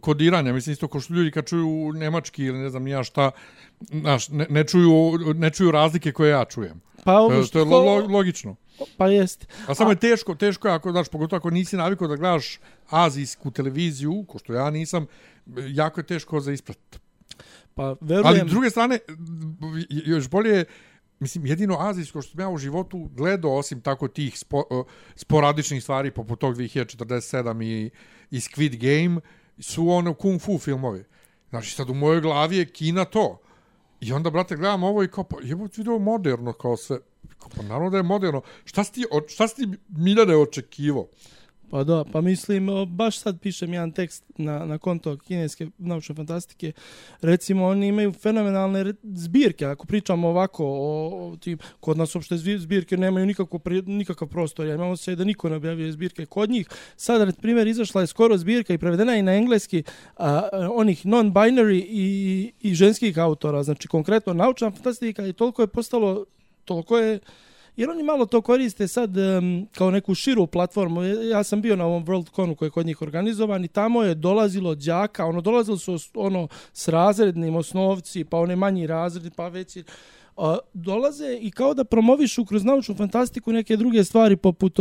kodiranja, mislim isto ko što ljudi kad čuju nemački ili ne znam nija šta, znaš, ne čuju razlike koje ja čujem. Pa to je logično. Pa jeste. A samo je teško ako, znaš, pogotovo ako nisi navikao da gledaš azijsku televiziju, ko što ja nisam, jako je teško za ispratiti. Pa verujem... Ali s druge strane, još bolje, mislim, jedino azijsko što sam ja u životu gledao, osim tako tih sporadičnih stvari poput tog 2047 i Squid Game, su ono kung fu filmovi. Znači, sad u mojoj glavi je Kina to. I onda, brate, gledam ovo i kao, pa jebo video moderno kao sve. Pa naravno da je moderno. Šta si ti Miljane očekivao? Pa da, pa mislim, baš sad pišem jedan tekst na konto kineske naučne fantastike. Recimo, oni imaju fenomenalne zbirke. Ako pričamo ovako, kod nas uopšte zbirke nemaju nikakav prostor. Ja imam osjećaj da niko ne objavljuje zbirke kod njih. Sad, na primjer, izašla je skoro zbirka i prevedena i na engleski onih non-binary i ženskih autora. Znači, konkretno, naučna fantastika i toliko je jer oni malo to koriste sad kao neku širu platformu. Ja sam bio na ovom Worldconu koji je kod njih organizovan i tamo je dolazilo đaka, dolazili su s razrednim osnovci, pa one manji razredi, pa veći. Dolaze i kao da promovišu kroz naučnu fantastiku neke druge stvari poput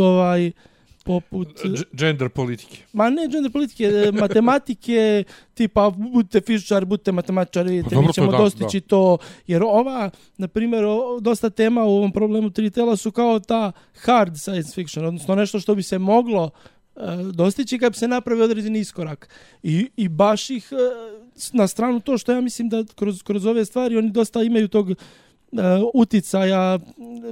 gender politike. Ma ne gender politike, matematike, tipa budite fizičari, budite matematičari, vidite, mi ćemo dostići to. Jer na primjer, dosta tema u ovom problemu tri tela su kao ta hard science fiction, odnosno nešto što bi se moglo dostići kad bi se napravi određeni iskorak. I baš ih na stranu to što ja mislim da kroz ove stvari oni dosta imaju tog uticaja,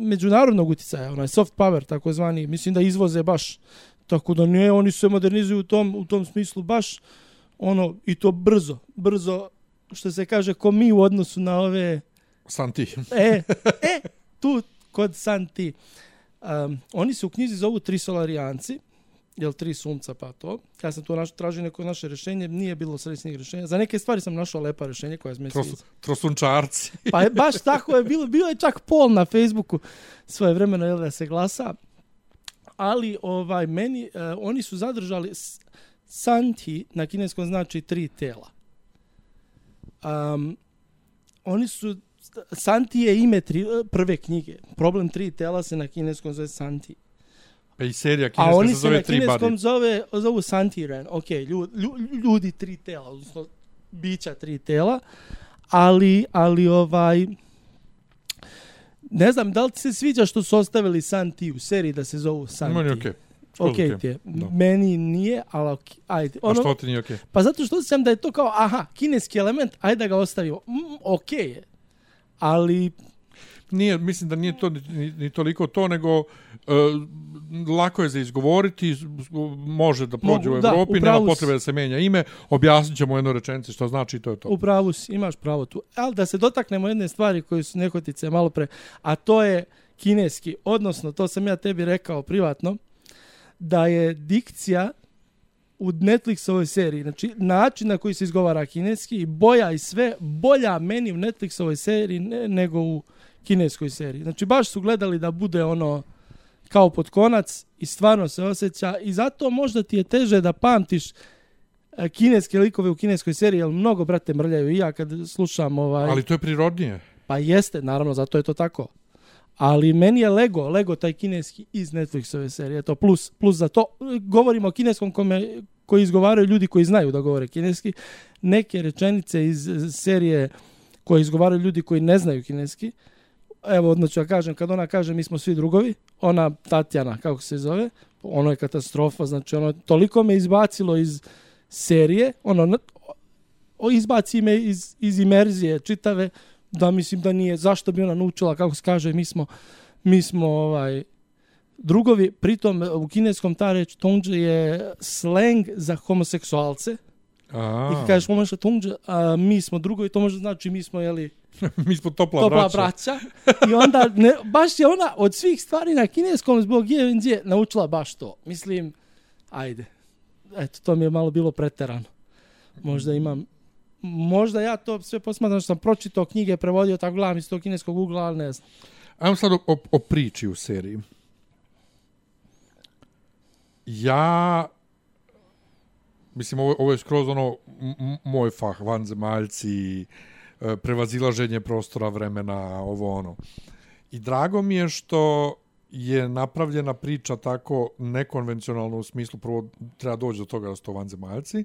međunarodnog uticaja, onaj soft power takozvani, mislim da izvoze baš, tako da ne, oni se modernizuju u tom smislu baš i to brzo, što se kaže, ko mi u odnosu na ove Santi. Tu kod Santi. Oni se u knjizi zovu Trisolarijanci, jel 3 sunca pa to. Ja sam tu tražio neko naše rješenje, nije bilo sredstvnih rješenja. Za neke stvari sam našao lepa rješenje koja je Trosunčarci. Pa baš tako je bilo. Bio je čak poll na Facebooku svoje vremeno da se glasa. Ali oni su zadržali Santi na kineskom znači 3 tela. Oni su Santi je ime prve knjige. Problem 3 tela se na kineskom zove Santi. Pa i serija kineska se zove 3 body. A oni se na kineskom zovu Santiren. Ok, ljudi 3 tela, odnosno bića 3 tela. Ali ne znam, da li ti se sviđa što su ostavili Santi u seriji da se zovu Santi? Meni okej. Ok ti je. Meni nije, ali ajde. A što ti nije okej? Pa zato što sam da je to kao, kineski element, ajde da ga ostavimo. Okej je. Ali... Nije, mislim da nije to ni toliko to, nego lako je za izgovoriti, može da prođe u Evropi, nema potrebe da se menja ime, objasnit ćemo jednu rečenicu što znači, to je to. Upravo si, imaš pravo tu. Ali da se dotaknemo jedne stvari koje su nehotice malo pre, a to je kineski, odnosno, to sam ja tebi rekao privatno, da je dikcija u Netflixovoj seriji, znači način na koji se izgovara kineski i boja i sve, bolja meni u Netflixovoj seriji nego u kineskoj seriji. Znači baš su gledali da bude kao pod konac i stvarno se osjeća i zato možda ti je teže da pamtiš kineske likove u kineskoj seriji, jer mnogo, brate, mrljaju i ja kad slušam Ali to je prirodnije. Pa jeste, naravno, zato je to tako. Ali meni je Lego taj kineski iz Netflixove serije, to plus za to. Govorimo o kineskom koji izgovaraju ljudi koji znaju da govore kineski. Neke rečenice iz serije koje izgovaraju ljudi koji ne znaju kineski. Evo, odnosno ja kažem, kad ona kaže mi smo svi drugovi, ona Tatjana, kako se zove, ono je katastrofa, znači toliko me izbacilo iz serije, izbaci me iz imerzije čitave, da mislim da nije, zašto bi ona naučila, kako se kaže, mi smo drugovi, pritom u kineskom ta reč tongđe je slang za homoseksualce. I kad kažeš momaša tongđe, a mi smo drugovi, to može znači mi smo, jeli, mi smo topla braća. I onda, baš je ona od svih stvari na kineskom zbog je naučila baš to. Mislim, ajde. Eto, to mi je malo bilo preterano. Možda ja to sve posmatram što sam pročitao knjige, prevodio, tako gledam iz tog kineskog ugla, ali ne znam. Ajmo sad o priči u seriji. Ja, mislim, ovo je skroz ono moj fah, vanzemaljci, prevazilaženje prostora, vremena, ovo ono. I drago mi je što je napravljena priča tako nekonvencionalno u smislu, prvo treba doći do toga da su to vanzemaljci,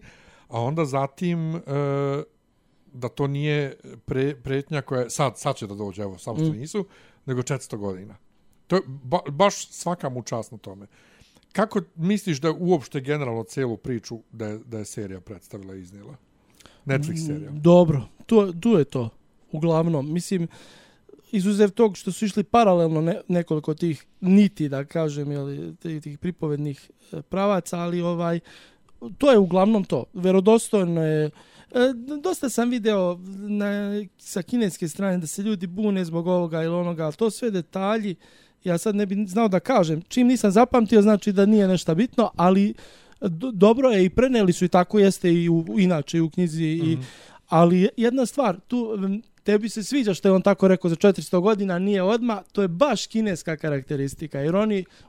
a onda zatim da to nije pretnja koja sad će da dođe, evo, samo što nisu, nego 400 godina. To je baš svaka mu čast na tome. Kako misliš da uopšte generalno celu priču da je serija predstavila i iznijela? Netflix serija. Dobro, tu je to. Uglavnom, mislim, izuzev tog što su išli paralelno nekoliko tih niti, da kažem, jeli, tih pripovednih pravaca, ali to je uglavnom to. Verodostojno je. Dosta sam video sa kineske strane da se ljudi bune zbog ovoga ili onoga, ali to sve detalji. Ja sad ne bih znao da kažem. Čim nisam zapamtio, znači da nije nešto bitno, ali dobro je i preneli su i tako jeste i inače i u knjizi. Ali jedna stvar, tu tebi se sviđa što je on tako rekao za 400 godina, nije odmah, to je baš kineska karakteristika, jer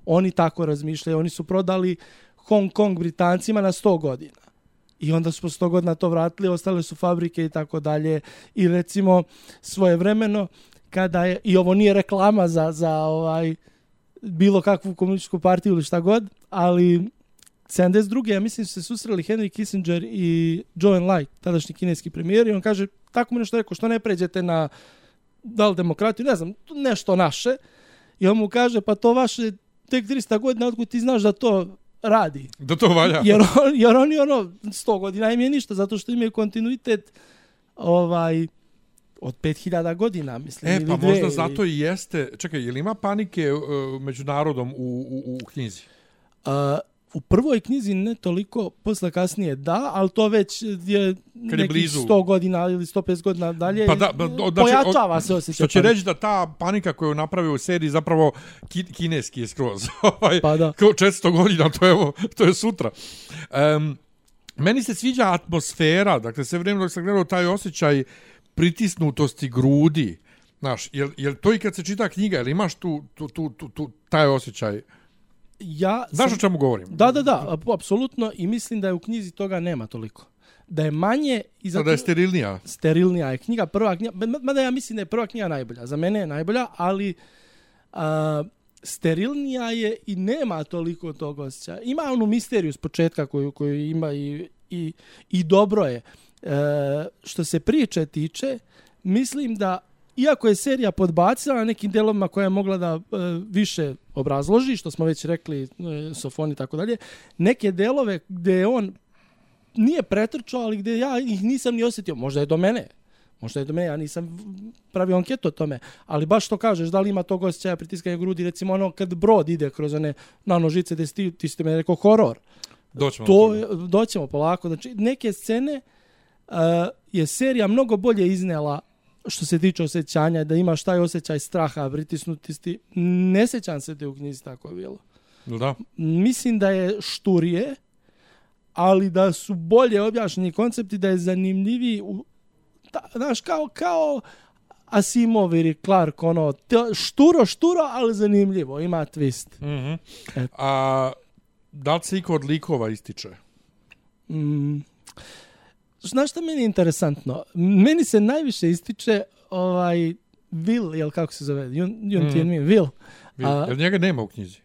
oni tako razmišljaju, oni su prodali Hong Kong Britancima na 100 godina. I onda su po 100 godina to vratili, ostale su fabrike i tako dalje. I recimo svojevremeno, kada je, i ovo nije reklama za bilo kakvu komunističku partiju ili šta god, ali 72. ja mislim su se susreli Henry Kissinger i Zhou Enlai, tadašnji kineski premijer, i on kaže, tako mi nešto rekao, što ne pređete na da li demokratiju, ne znam, nešto naše. I on mu kaže, pa to vaše tek 300 godina, otkud ti znaš da to radi. Da to valja. Jer oni 100 godina im je ništa, zato što imaju kontinuitet od 5000 godina, mislim. Pa možda zato i jeste. Čekaj, je li ima panike među narodom u knjizi? U prvoj knjizi ne toliko, posle kasnije da, ali to već je nekih 100 godina ili 150 godina dalje. Pojačava se osjećaj. Što će reći da ta panika koju napravio u seriji zapravo kineski je skroz. Pa da. 400 godina, to je sutra. Meni se sviđa atmosfera, dakle sve vrijeme dok sam gledao taj osjećaj pritisnutosti grudi. Znaš, jel to i kad se čita knjiga, jel imaš taj osjećaj? Znaš o čemu govorim? Da, apsolutno, i mislim da je u knjizi toga nema toliko. Da je manje... Da je sterilnija. Sterilnija je knjiga, prva knjiga, mada ja mislim da je prva knjiga najbolja. Za mene je najbolja, ali sterilnija je i nema toliko tog osjećaja. Ima onu misteriju s početka koju ima i dobro je. Što se priče tiče, mislim da iako je serija podbacila na nekim delovima koja je mogla da više obrazloži, što smo već rekli, Sofoni i tako dalje, neke delove gdje on nije pretrčao, ali gdje ja ih nisam ni osjetio. Možda je do mene, ja nisam pravio anketu o tome, ali baš što kažeš, da li ima tog osjećaja pritiskanja grudi, recimo kad brod ide kroz one nanožice, ti ste me rekao horor. Doćemo polako. Znači, neke scene je serija mnogo bolje iznela što se tiče osjećanja, da imaš taj osjećaj straha, pritisnutosti. Ne sjećam se te u knjizi tako je bilo. Da. Mislim da je šturije, ali da su bolje objašnjeni koncepti, da je zanimljiviji. Znaš, kao Asimov ili Clark, šturo, ali zanimljivo, ima twist. Mm-hmm. A da li se iko od likova ističe? Znaš što meni je interesantno? Meni se najviše ističe Will, jel kako se zove? Yun Tianmin, Will. Jel njega nema u knjizi?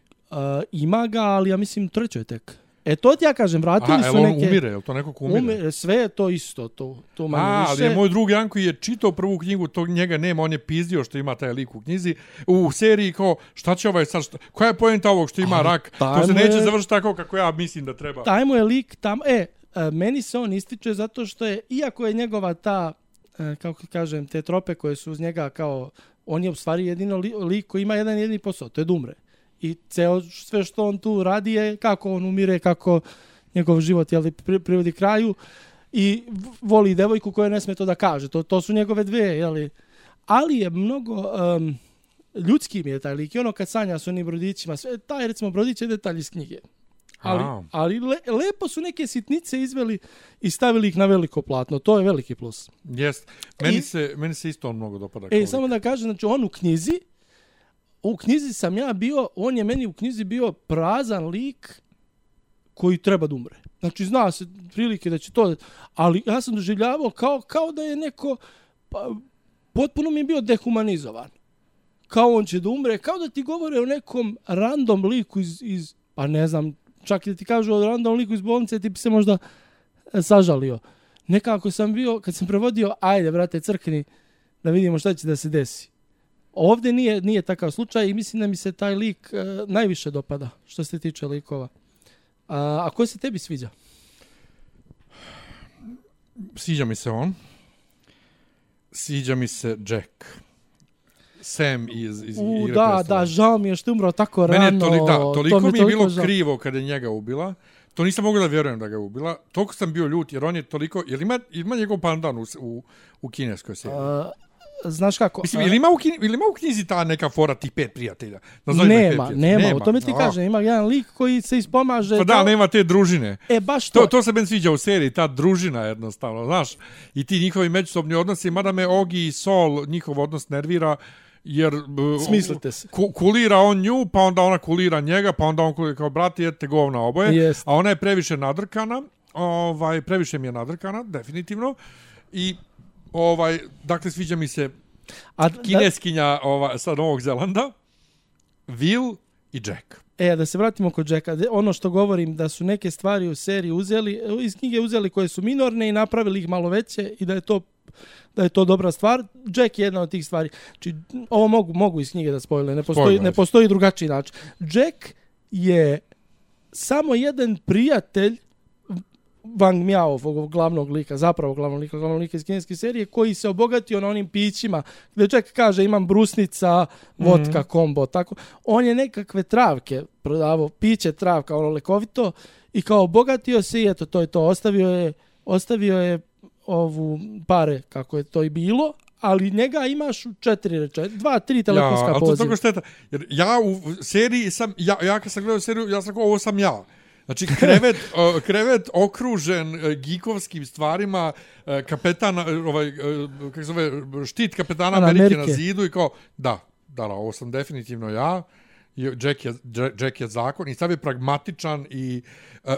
Ima ga, ali ja mislim trećoj tek. To ti ja kažem, vratili su neke... on umire, jel to neko ko umire? Sve je to isto, to manje više. Ali je moj drug Janko je čitao prvu knjigu, to njega nema, on je pizdio što ima taj lik u knjizi. U seriji kao, šta će sad, koja je poenta ovog što ima rak? To se neće završiti tako kako ja mislim da treba. Taj mu je lik tam, meni se on ističe zato što je, iako je njegova ta, kako kažem, te trope koje su uz njega kao, on je u stvari jedino lik koji ima jedan jedini posao, to je da umre. i sve što on tu radi je kako on umire, kako njegov život privodi kraju i voli devojku koja ne sme to da kaže. To su njegove dve, ali je mnogo ljudski mi je taj lik i ono kad sanja s onim brodićima, sve, taj recimo brodić je detalj iz knjige. Ali lepo su neke sitnice izveli i stavili ih na veliko platno. To je veliki plus. Jest. Meni se isto on mnogo dopada. Samo da kažem, znači on u knjizi sam ja bio, on je meni u knjizi bio prazan lik koji treba da umre. Znači zna se prilike da će to, ali ja sam doživljavao kao da je neko, potpuno mi je bio dehumanizovan. Kao on će da umre, kao da ti govore o nekom random liku iz pa ne znam, čak i da ti kažu o random liku iz bolnice, ti bi se možda sažalio. Nekako sam bio, kad sam prevodio, ajde, brate, crkni, da vidimo šta će da se desi. Ovdje nije takav slučaj i mislim da mi se taj lik najviše dopada, što se tiče likova. A ko se tebi sviđa? Sviđa mi se on. Sviđa mi se Jack. Sam iz Igre prestava. Da, žao mi je što je umrao tako rano. Toliko mi je bilo krivo kada je njega ubila. To nisam mogao da vjerujem da ga je ubila. Toliko sam bio ljut, jer on je toliko... Jer ima njegov pandan u kineskoj seriji? Znaš kako? Mislim, ili ima u knjizi ta neka fora tih 5 prijatelja? Nema. O tome ti kažem. Ima jedan lik koji se ispomaže... Pa da, nema te družine. Baš to. To se meni sviđa u seriji, ta družina jednostavno, znaš. I ti njihovi međusobni odnosi, mada me Ogi i Sol, njihov odnos nervira, jer smislite se. Kulira on nju, pa onda ona kulira njega, pa onda on kulira kao brati, jete govna oboje. Jest. A ona je previše nadrkana, previše mi je nadrkana, definitivno. I dakle, sviđa mi se kineskinja sa Novog Zelanda, Will i Jack. Da se vratimo kod Jacka. Ono što govorim, da su neke stvari u seriji iz knjige uzeli koje su minorne i napravili ih malo veće i da je to dobra stvar. Jack je jedna od tih stvari. Znači, ovo mogu iz knjige da spojile, ne postoji drugačiji način. Jack je samo jedan prijatelj Wang Miao, ovog glavnog lika iz kineske serije, koji se obogatio na onim pićima, gdje Jack kaže imam brusnica, vodka, kombo, tako. On je nekakve travke prodavao, piće travka, ono lekovito, i kao obogatio se i eto, to je to. Ostavio je ovu pare, kako je to i bilo, ali njega imaš u 2-3 telefonska poziva. Ali to je šteta. Jer ja u seriji sam, ja kad sam gledao seriju, ja sam kao, ovo sam ja. Znači, krevet okružen geekovskim stvarima, kapetan, kako zove, štit kapetana Amerike na zidu i kao, da, ovo sam definitivno ja. Jack je zakon i sad je pragmatičan i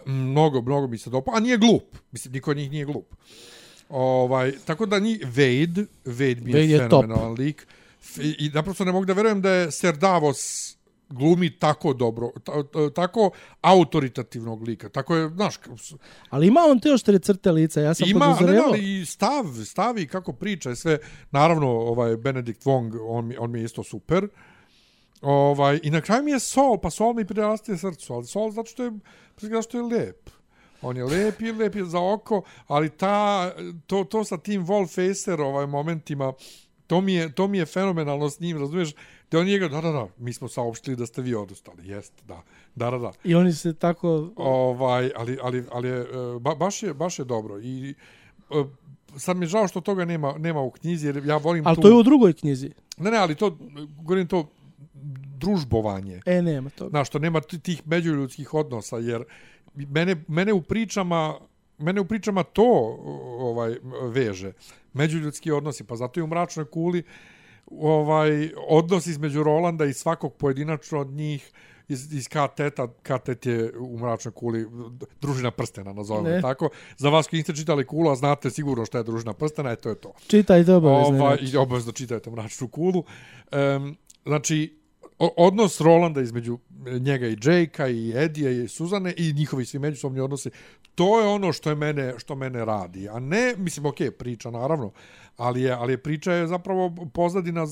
mnogo mi se dopao, a nije glup. Mislim, niko od njih nije glup. Tako da Wade mi je fenomenalan lik. I naprosto ne mogu da verujem da je Ser Davos glumi tako dobro, tako autoritativnog lika. Tako je, znaš... Ali ima on te oštre crte lica, ja sam podozrevao. I stavi kako priča, sve. Naravno, Benedict Wong, on mi je isto super. I na kraju mi je Sol, pa Sol mi prirastije srcu, ali Sol zato što je lep. On je lep je za oko, ali to sa tim Wallfacer momentima, to mi je fenomenalno s njim, razumiješ? Da on njega, da, mi smo saopštili da ste vi odustali, jeste, da. I oni se tako... Ali baš je dobro. I sad mi je žao što toga nema u knjizi, jer ja volim ali to je u drugoj knjizi. Ne, ali govorim to družbovanje. Nema toga. Znaš, što nema tih međuljudskih odnosa, jer mene u pričama to veže. Međuljudski odnosi, pa zato i u Mračnoj kuli odnos između Rolanda i svakog pojedinačno od njih iz Katet je u Mračnoj kuli družina prstena, nazovemo tako. Za vas koji niste čitali Kulu, a znate sigurno šta je družina prstena, to je to. Čitajte obavezno. I obavezno čitajte Mračnu kulu. Znači, odnos Rolanda između njega i Jakea i Edija i Suzane i njihovi svi međusobni odnosi, to je ono što mene radi. A ne, mislim, priča naravno, ali je priča je zapravo pozadina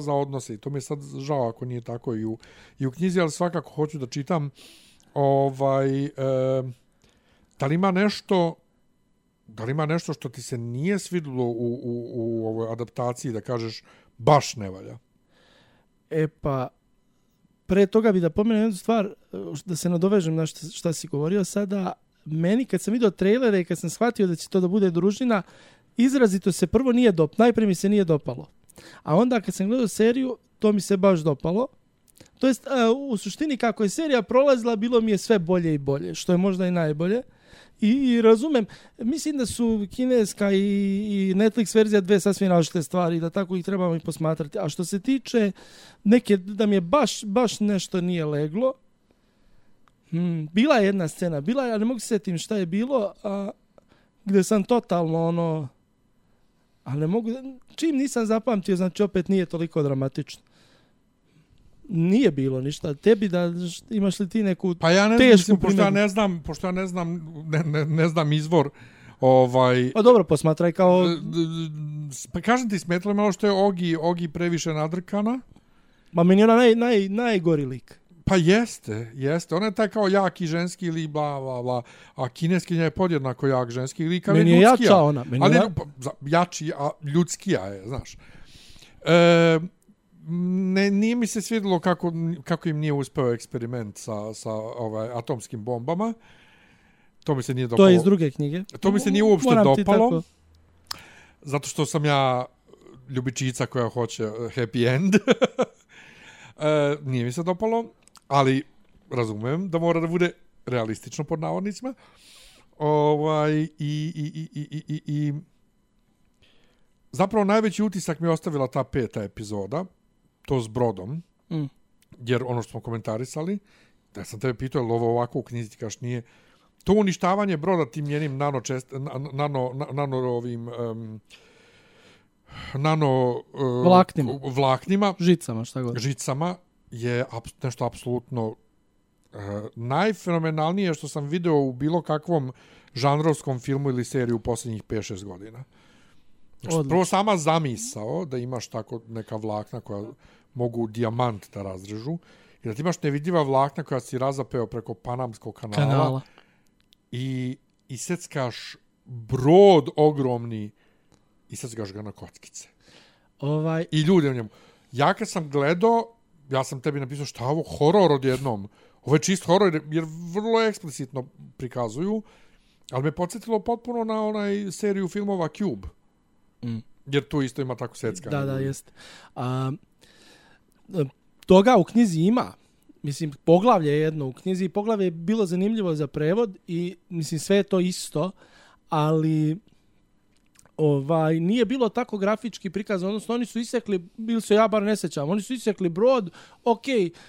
za odnose. I to mi je sad žao ako nije tako i u knjizi, ali svakako hoću da čitam. Da li ima nešto što ti se nije svidilo u ovoj adaptaciji da kažeš baš ne valja? Pa pre toga bi da pomenem jednu stvar, da se nadovežem na šta si govorio sada. Meni kad sam vidio trailere i kad sam shvatio da će to da bude družina, izrazito se prvo najprije mi se nije dopalo. A onda kad sam gledao seriju, to mi se baš dopalo. To jest, u suštini kako je serija prolazila, bilo mi je sve bolje i bolje, što je možda i najbolje. I razumem, mislim da su kineska i Netflix verzija dve sasvim različite stvari, da tako ih trebamo i posmatrati. A što se tiče neke, da mi je baš nešto nije leglo, bila je jedna scena, ja ne mogu se sjetim šta je bilo, gdje sam totalno ali ne mogu, čim nisam zapamtio, znači opet nije toliko dramatično. Nije bilo ništa. Tebi da imaš li ti neku pa ja ne tešku znam, pošto ja ne znam izvor. Pa dobro, posmatraj kao... Pa kažem ti, smetalo malo što je Ogi previše nadrkana. Ma meni je ona najgori lik. Pa jeste. Ona je taj kao jaki ženski lik, bla, bla, bla. A kineskinja je podjednako jak ženski lik, ali meni je jača ona. Jači, a ljudskija je, znaš. Nije mi se svidjelo kako im nije uspeo eksperiment sa atomskim bombama. To mi se nije dopalo. To je iz druge knjige. To mi se nije uopšte dopalo. Zato što sam ja ljubičica koja hoće happy end. Nije mi se dopalo, ali razumem da mora da bude realistično pod navodnicima. I zapravo najveći utisak mi je ostavila ta 5. epizoda, to s brodom, jer ono što smo komentarisali, da sam tebe pitao, je li ovo ovako u knjizi, ti kaš nije, to uništavanje broda tim njenim vlaknima, žicama je nešto apsolutno najfenomenalnije što sam video u bilo kakvom žanrovskom filmu ili seriji u posljednjih 5-6 godina. Znači, prvo sama zamisao da imaš tako neka vlakna koja mogu dijamant da razrežu i da ti imaš nevidljiva vlakna koja si razapeo preko Panamskog kanala. I iseckaš brod ogromni i seckaš ga na kockice. I ljudi u njemu. Ja kad sam gledao, ja sam tebi napisao šta je ovo horor odjednom. Ovo je čist horor jer vrlo eksplicitno prikazuju, ali me podsjetilo potpuno na onaj seriju filmova Cube. Jer tu isto ima tako seckanje. Da, jest. Toga u knjizi ima. Mislim, poglavlje je jedno u knjizi. Poglavlje je bilo zanimljivo za prevod i mislim sve je to isto, ali nije bilo tako grafički prikazano. Odnosno, oni su isekli, bili su, ja bar ne sećam, oni su isekli brod,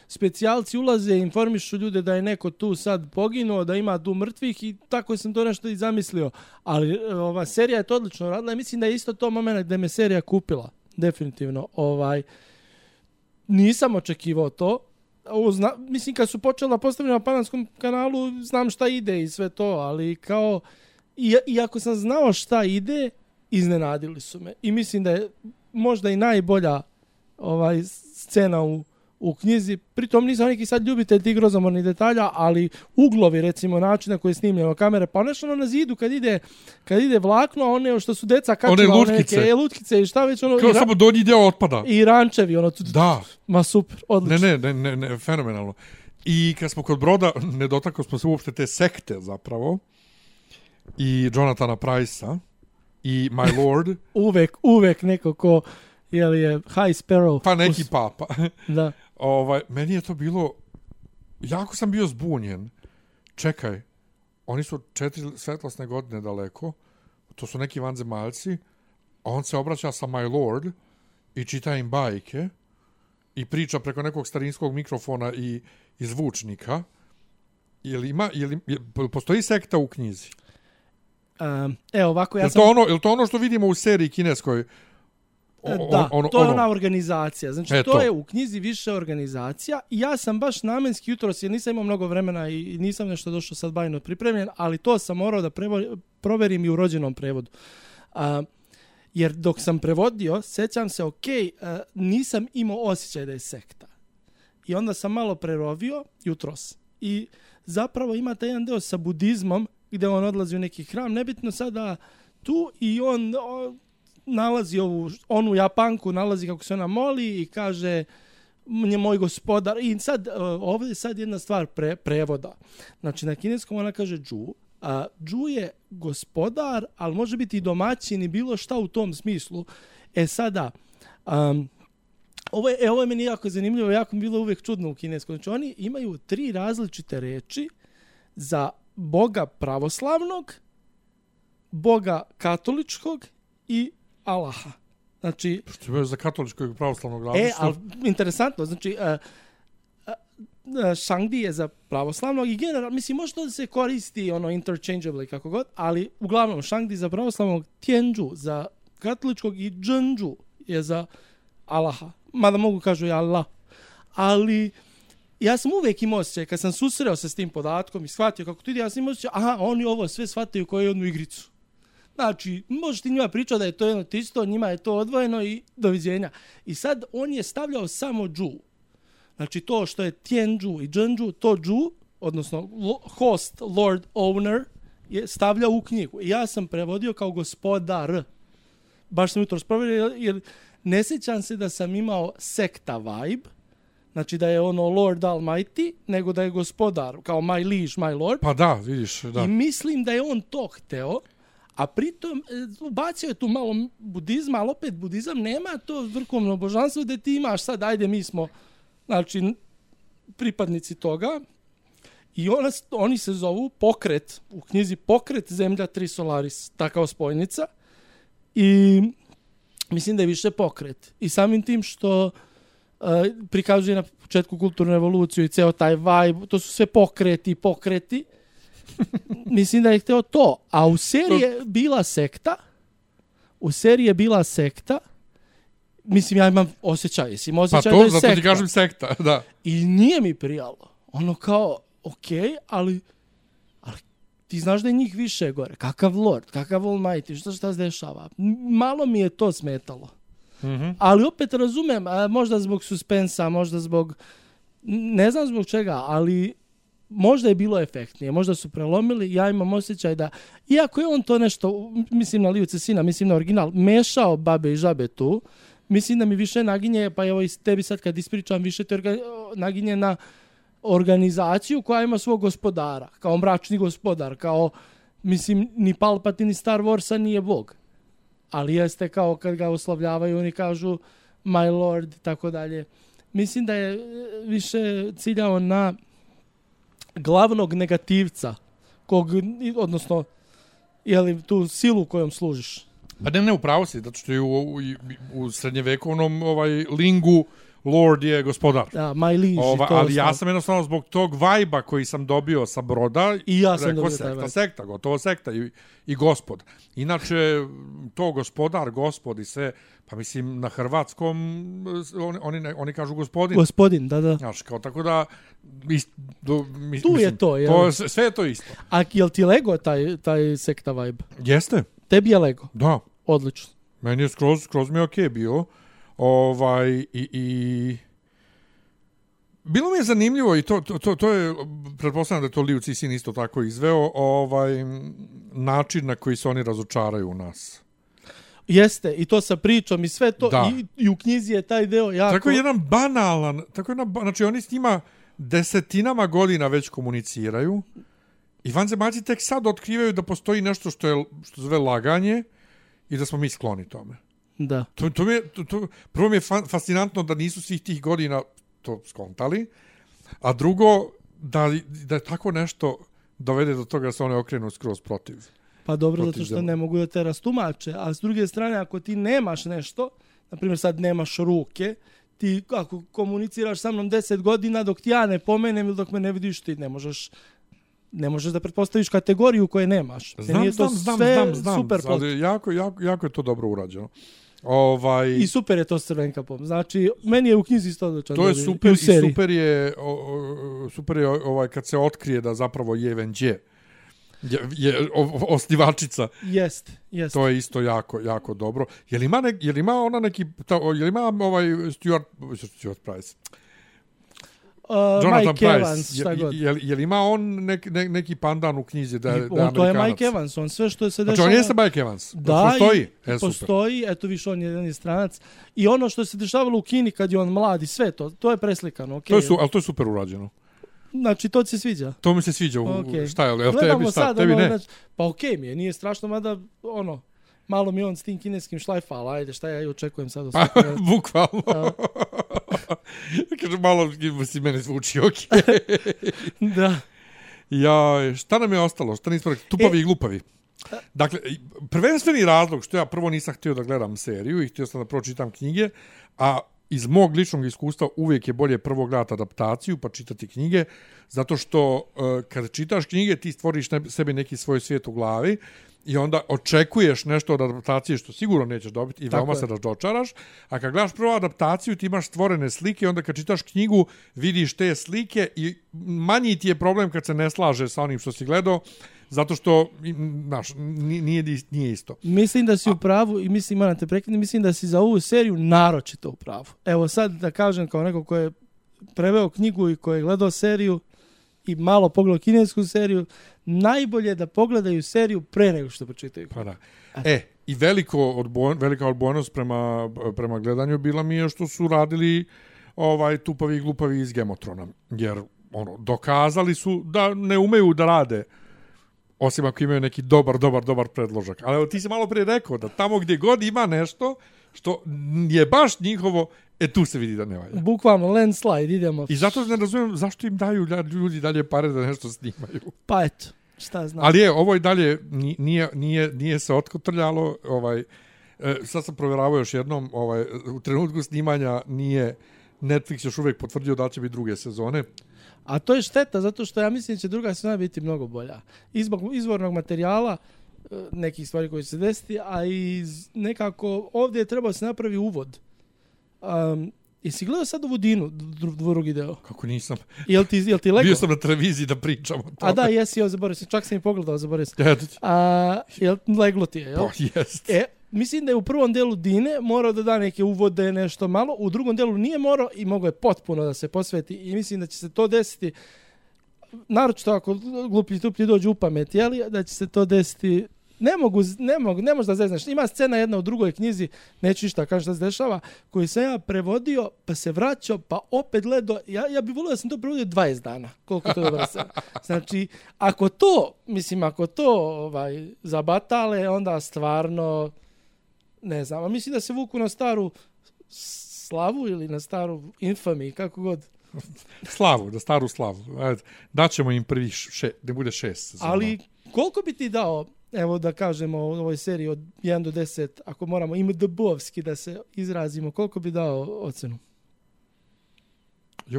specijalci ulaze, informišu ljude da je neko tu sad poginuo, da ima tu mrtvih i tako sam to nešto i zamislio. Ali serija je to odlično radila i mislim da je isto to moment gdje me serija kupila. Definitivno. Nisam očekivao to. Mislim, kad su počela postavljati na Panamskom kanalu, znam šta ide i sve to, ali kao, iako sam znao šta ide, iznenadili su me. I mislim da je možda i najbolja scena u knjizi. Pritom nisam neki sad ljubitelj tih grozomornih detalja, ali uglovi, recimo, način na koji je snimljeno kamere, pa nešto na zidu kad ide vlakno, a one što su deca kačila, one lutkice i šta već kao samo donji dio otpada. I rančevi, da. Ma super, odlično. Ne, fenomenalno. I kad smo kod broda, ne dotakli smo se uopšte te sekte zapravo, i Jonathana Pryce-a, i My Lord. uvek neko ko je High Sparrow. Pa neki papa. Da. Meni je to bilo, jako sam bio zbunjen. Čekaj, oni su 4 svetlosne godine daleko, to su neki vanzemaljci, a on se obraća sa My Lord i čita im bajke i priča preko nekog starinskog mikrofona i zvučnika. Postoji sekta u knjizi? Ovako, je li to ono što vidimo u seriji kineskoj? To je ona organizacija. Znači, to je u knjizi više organizacija i ja sam baš namenski jutros, jer nisam imao mnogo vremena i nisam nešto došao sad bajno pripremljen, ali to sam morao da proverim i u rođenom prevodu. Jer dok sam prevodio, sećam se, nisam imao osjećaj da je sekta. I onda sam malo prerovio jutros. I zapravo ima taj jedan deo sa budizmom, gdje on odlazi u neki hram, nebitno sada tu, i on nalazi onu Japanku, nalazi kako se ona moli i kaže je moj gospodar. I sad, ovdje je sad jedna stvar prevoda. Znači, na kineskom ona kaže Zhu, a Zhu je gospodar, ali može biti i domaćin i bilo šta u tom smislu. Sada, ovo je meni jako zanimljivo, jako mi bilo uvijek čudno u kineskom. Znači, oni imaju 3 različite reči za Boga pravoslavnog, Boga katoličkog i Allaha. Znači, što je za katoličkog i pravoslavnog različito? Ali interesantno, znači Shangdi je za pravoslavnog i generalno, mislim, može to da se koristi interchangeably kako god, ali uglavnom Shangdi za pravoslavnog, Tianzhu za katoličkog i Zhenju je za Allaha. Mada mogu kažu i Allah. Ali ja sam uvijek imao osjećaj, kad sam susreo se s tim podatkom i shvatio kako to ide, ja sam imao osjećaj, oni ovo sve shvataju kao jednu igricu. Znači, možeš ti njima pričati da je to jedno isto, njima je to odvojeno i doviđenja. I sad on je stavljao samo Zhu. Znači, to što je Tianzhu i Zhenju, to Zhu, odnosno host, lord, owner, je stavljao u knjigu. I ja sam prevodio kao gospodar. Baš sam jutro provjerio, jer ne sjećam se da sam imao sekta vibe, znači da je Lord Almighty, nego da je gospodar, kao my liege, my lord. Pa da, vidiš, da. I mislim da je on to hteo, a pritom ubacio je tu malo budizma, ali opet budizam nema to vrhovno božanstvo da ti imaš sad, ajde mi smo, znači, pripadnici toga. I oni se zovu pokret, u knjizi Pokret Zemlja Tri Solaris, takva spojnica. I mislim da je više pokret. I samim tim što prikazuje na početku kulturnu revoluciju i ceo taj vibe, to su sve pokreti. Mislim da je hteo to. A u seriji je bila sekta. Mislim, ja imam osjećaj. Jesi osjećaj da je sekta? Pa to, zato ti kažem sekta, da. I nije mi prijalo. Kao, okej, ali ti znaš da je njih više gore. Kakav lord, kakav almighty, šta se dešava? Malo mi je to smetalo. Mm-hmm. Ali opet razumem, možda zbog suspensa, možda zbog, ne znam zbog čega, ali možda je bilo efektnije, možda su prelomili. Ja imam osjećaj da, iako je on to nešto, mislim na Liu Cixina, mislim na original, mešao babe i žabe tu, mislim da mi više naginje, pa evo i tebi sad kad ispričam, više te naginje na organizaciju koja ima svog gospodara, kao mračni gospodar, kao, mislim, ni Palpatine ni Star Warsa nije bog. Ali jeste kao kad ga oslavljavaju, oni kažu my lord i tako dalje. Mislim da je više ciljao na glavnog negativca, odnosno, tu silu kojom služiš. Pa ne, upravo si, zato što je u srednjevekovnom lingu Lord je gospodar. Da, my liege. Ali ja sam jednostavno zbog tog vajba koji sam dobio sa broda, i ja sam dobio sekta, gotovo sekta i gospod. Inače, to gospodar, gospod i sve, pa mislim na hrvatskom oni kažu gospodin. Gospodin, da. Znaš, kao tako da tu je to. Sve je to isto. A jel ti lego taj sekta vibe? Jeste. Tebi je lego? Da. Odlično. Meni je skroz mi je okej bio. I bilo mi je zanimljivo i to je, pretpostavljam da je to Liu Cixin isto tako izveo, način na koji se oni razočaraju u nas. Jeste, i to sa pričom i sve to, i u knjizi je taj deo jako... Tako jedan banalan, znači oni s njima desetinama godina već komuniciraju i vanzemaljci tek sad otkrivaju da postoji nešto što zove laganje i da smo mi skloni tome. Da. Prvo mi je fascinantno da nisu svih tih godina to skontali, a drugo da tako nešto dovede do toga da se one okrenu skroz protiv. Pa dobro, zato što ne mogu da te rastumače, a s druge strane ako ti nemaš nešto, na primjer sad nemaš ruke, ti ako komuniciraš sa mnom 10 godina dok ti ja ne pomenem ili dok me ne vidiš, ti ne možeš da pretpostaviš kategoriju koje nemaš. Znam, super ali jako je to dobro urađeno. I super je to s Crvenkapom. Znači, meni je u knjizi isto odlično. To je super i super je kad se otkrije da zapravo je Wenjie je osnivačica. Jest. To je isto jako dobro. Je li ima Stuart Price? Jonathan Mike Pryce. Evans, šta god. Jel ima on neki pandan u knjizi da je Amerikanac? To je Mike Evans, on sve što se dešava... Znači on jeste Mike Evans? Da, postoji? Postoji, eto više on je stranac. I ono što se dešavalo u Kini kad je on mladi, sve to je preslikano. Okay. Ali to je super urađeno. Znači, to ti se sviđa? To mi se sviđa. Okay. Šta je? Gledamo sad, tebi ne? Znači, pa okej mi je, nije strašno, mada malo mi on s tim kineskim šlajfa, ali ajde, šta ja i očekujem sad. Bukvalno. Kaže, malo si mene zvuči, okej. Da. Ja, šta nam je ostalo? Šta nismo rekli? Tupavi i glupavi. Dakle, prvenstveni razlog što ja prvo nisam htio da gledam seriju i htio sam da pročitam knjige, a iz mog ličnog iskustva uvijek je bolje prvo gledati adaptaciju pa čitati knjige, zato što kada čitaš knjige ti stvoriš sebi neki svoj svijet u glavi i onda očekuješ nešto od adaptacije što sigurno nećeš dobiti i veoma se razočaraš, a kad gledaš prvo adaptaciju ti imaš stvorene slike, onda kad čitaš knjigu vidiš te slike i manji ti je problem kad se ne slaže sa onim što si gledao, zato što nije isto. Mislim da si u pravu i moram te prekinuti, mislim da si za ovu seriju naročito u pravu. Evo sad da kažem kao neko ko je preveo knjigu i ko je gledao seriju i malo pogledao kinesku seriju, najbolje da pogledaju seriju pre nego što pročitaju. Pa da. I velika odbojnost prema gledanju bila mi je što su radili tupavi i glupavi iz Game of Thrones, jer dokazali su da ne umeju da rade osim ako imaju neki dobar predložak. Ali ti si malo prije rekao da tamo gdje god ima nešto što je baš njihovo, tu se vidi da ne valja. Bukvalno, landslide, idemo. I zato ne razumijem zašto im daju ljudi dalje pare da nešto snimaju. Pa eto, šta znam. Ali ovo i dalje nije se otkotrljalo. Sad sam provjeravao još jednom, u trenutku snimanja nije Netflix još uvijek potvrdio da će biti druge sezone. A to je šteta, zato što ja mislim da će druga sezona biti mnogo bolja. Izvornog materijala, nekih stvari koje će se desiti, a iz nekako ovdje je trebao se napravi uvod. Jesi gledao sad ovu Dinu, drugi deo? Kako nisam? Jel ti leglo? Bio sam na televiziji da pričam o tome. A da, jesi, zaboravio sam, čak sam i pogledao, zaboravio sam. Jel leglo ti je, jel? Pa jest. Mislim da je u prvom delu Dine morao da da neke uvode, nešto malo, u drugom delu nije morao i mogao je potpuno da se posveti i mislim da će se to desiti, naročito ako gluplji tuplji dođu u pamet, jeli, da će se to desiti, ne možeš da zeznaš. Ima scena jedna u drugoj knjizi, neću ništa kažem šta se dešava, koju sam ja prevodio, pa se vraćao, pa opet gledao, ja bih volio da sam to prevodio 20 dana, koliko to dobro se. Znači, ako to zabatale, onda stvarno ne znam, a mislim da se vuku na staru slavu ili na staru infamy, kako god. Na staru slavu. Daćemo im prvi ne bude 6 sezona. Ali koliko bi ti dao, evo da kažemo u ovoj seriji od 1 do 10, ako moramo IMDb-ovski da se izrazimo, koliko bi dao ocenu?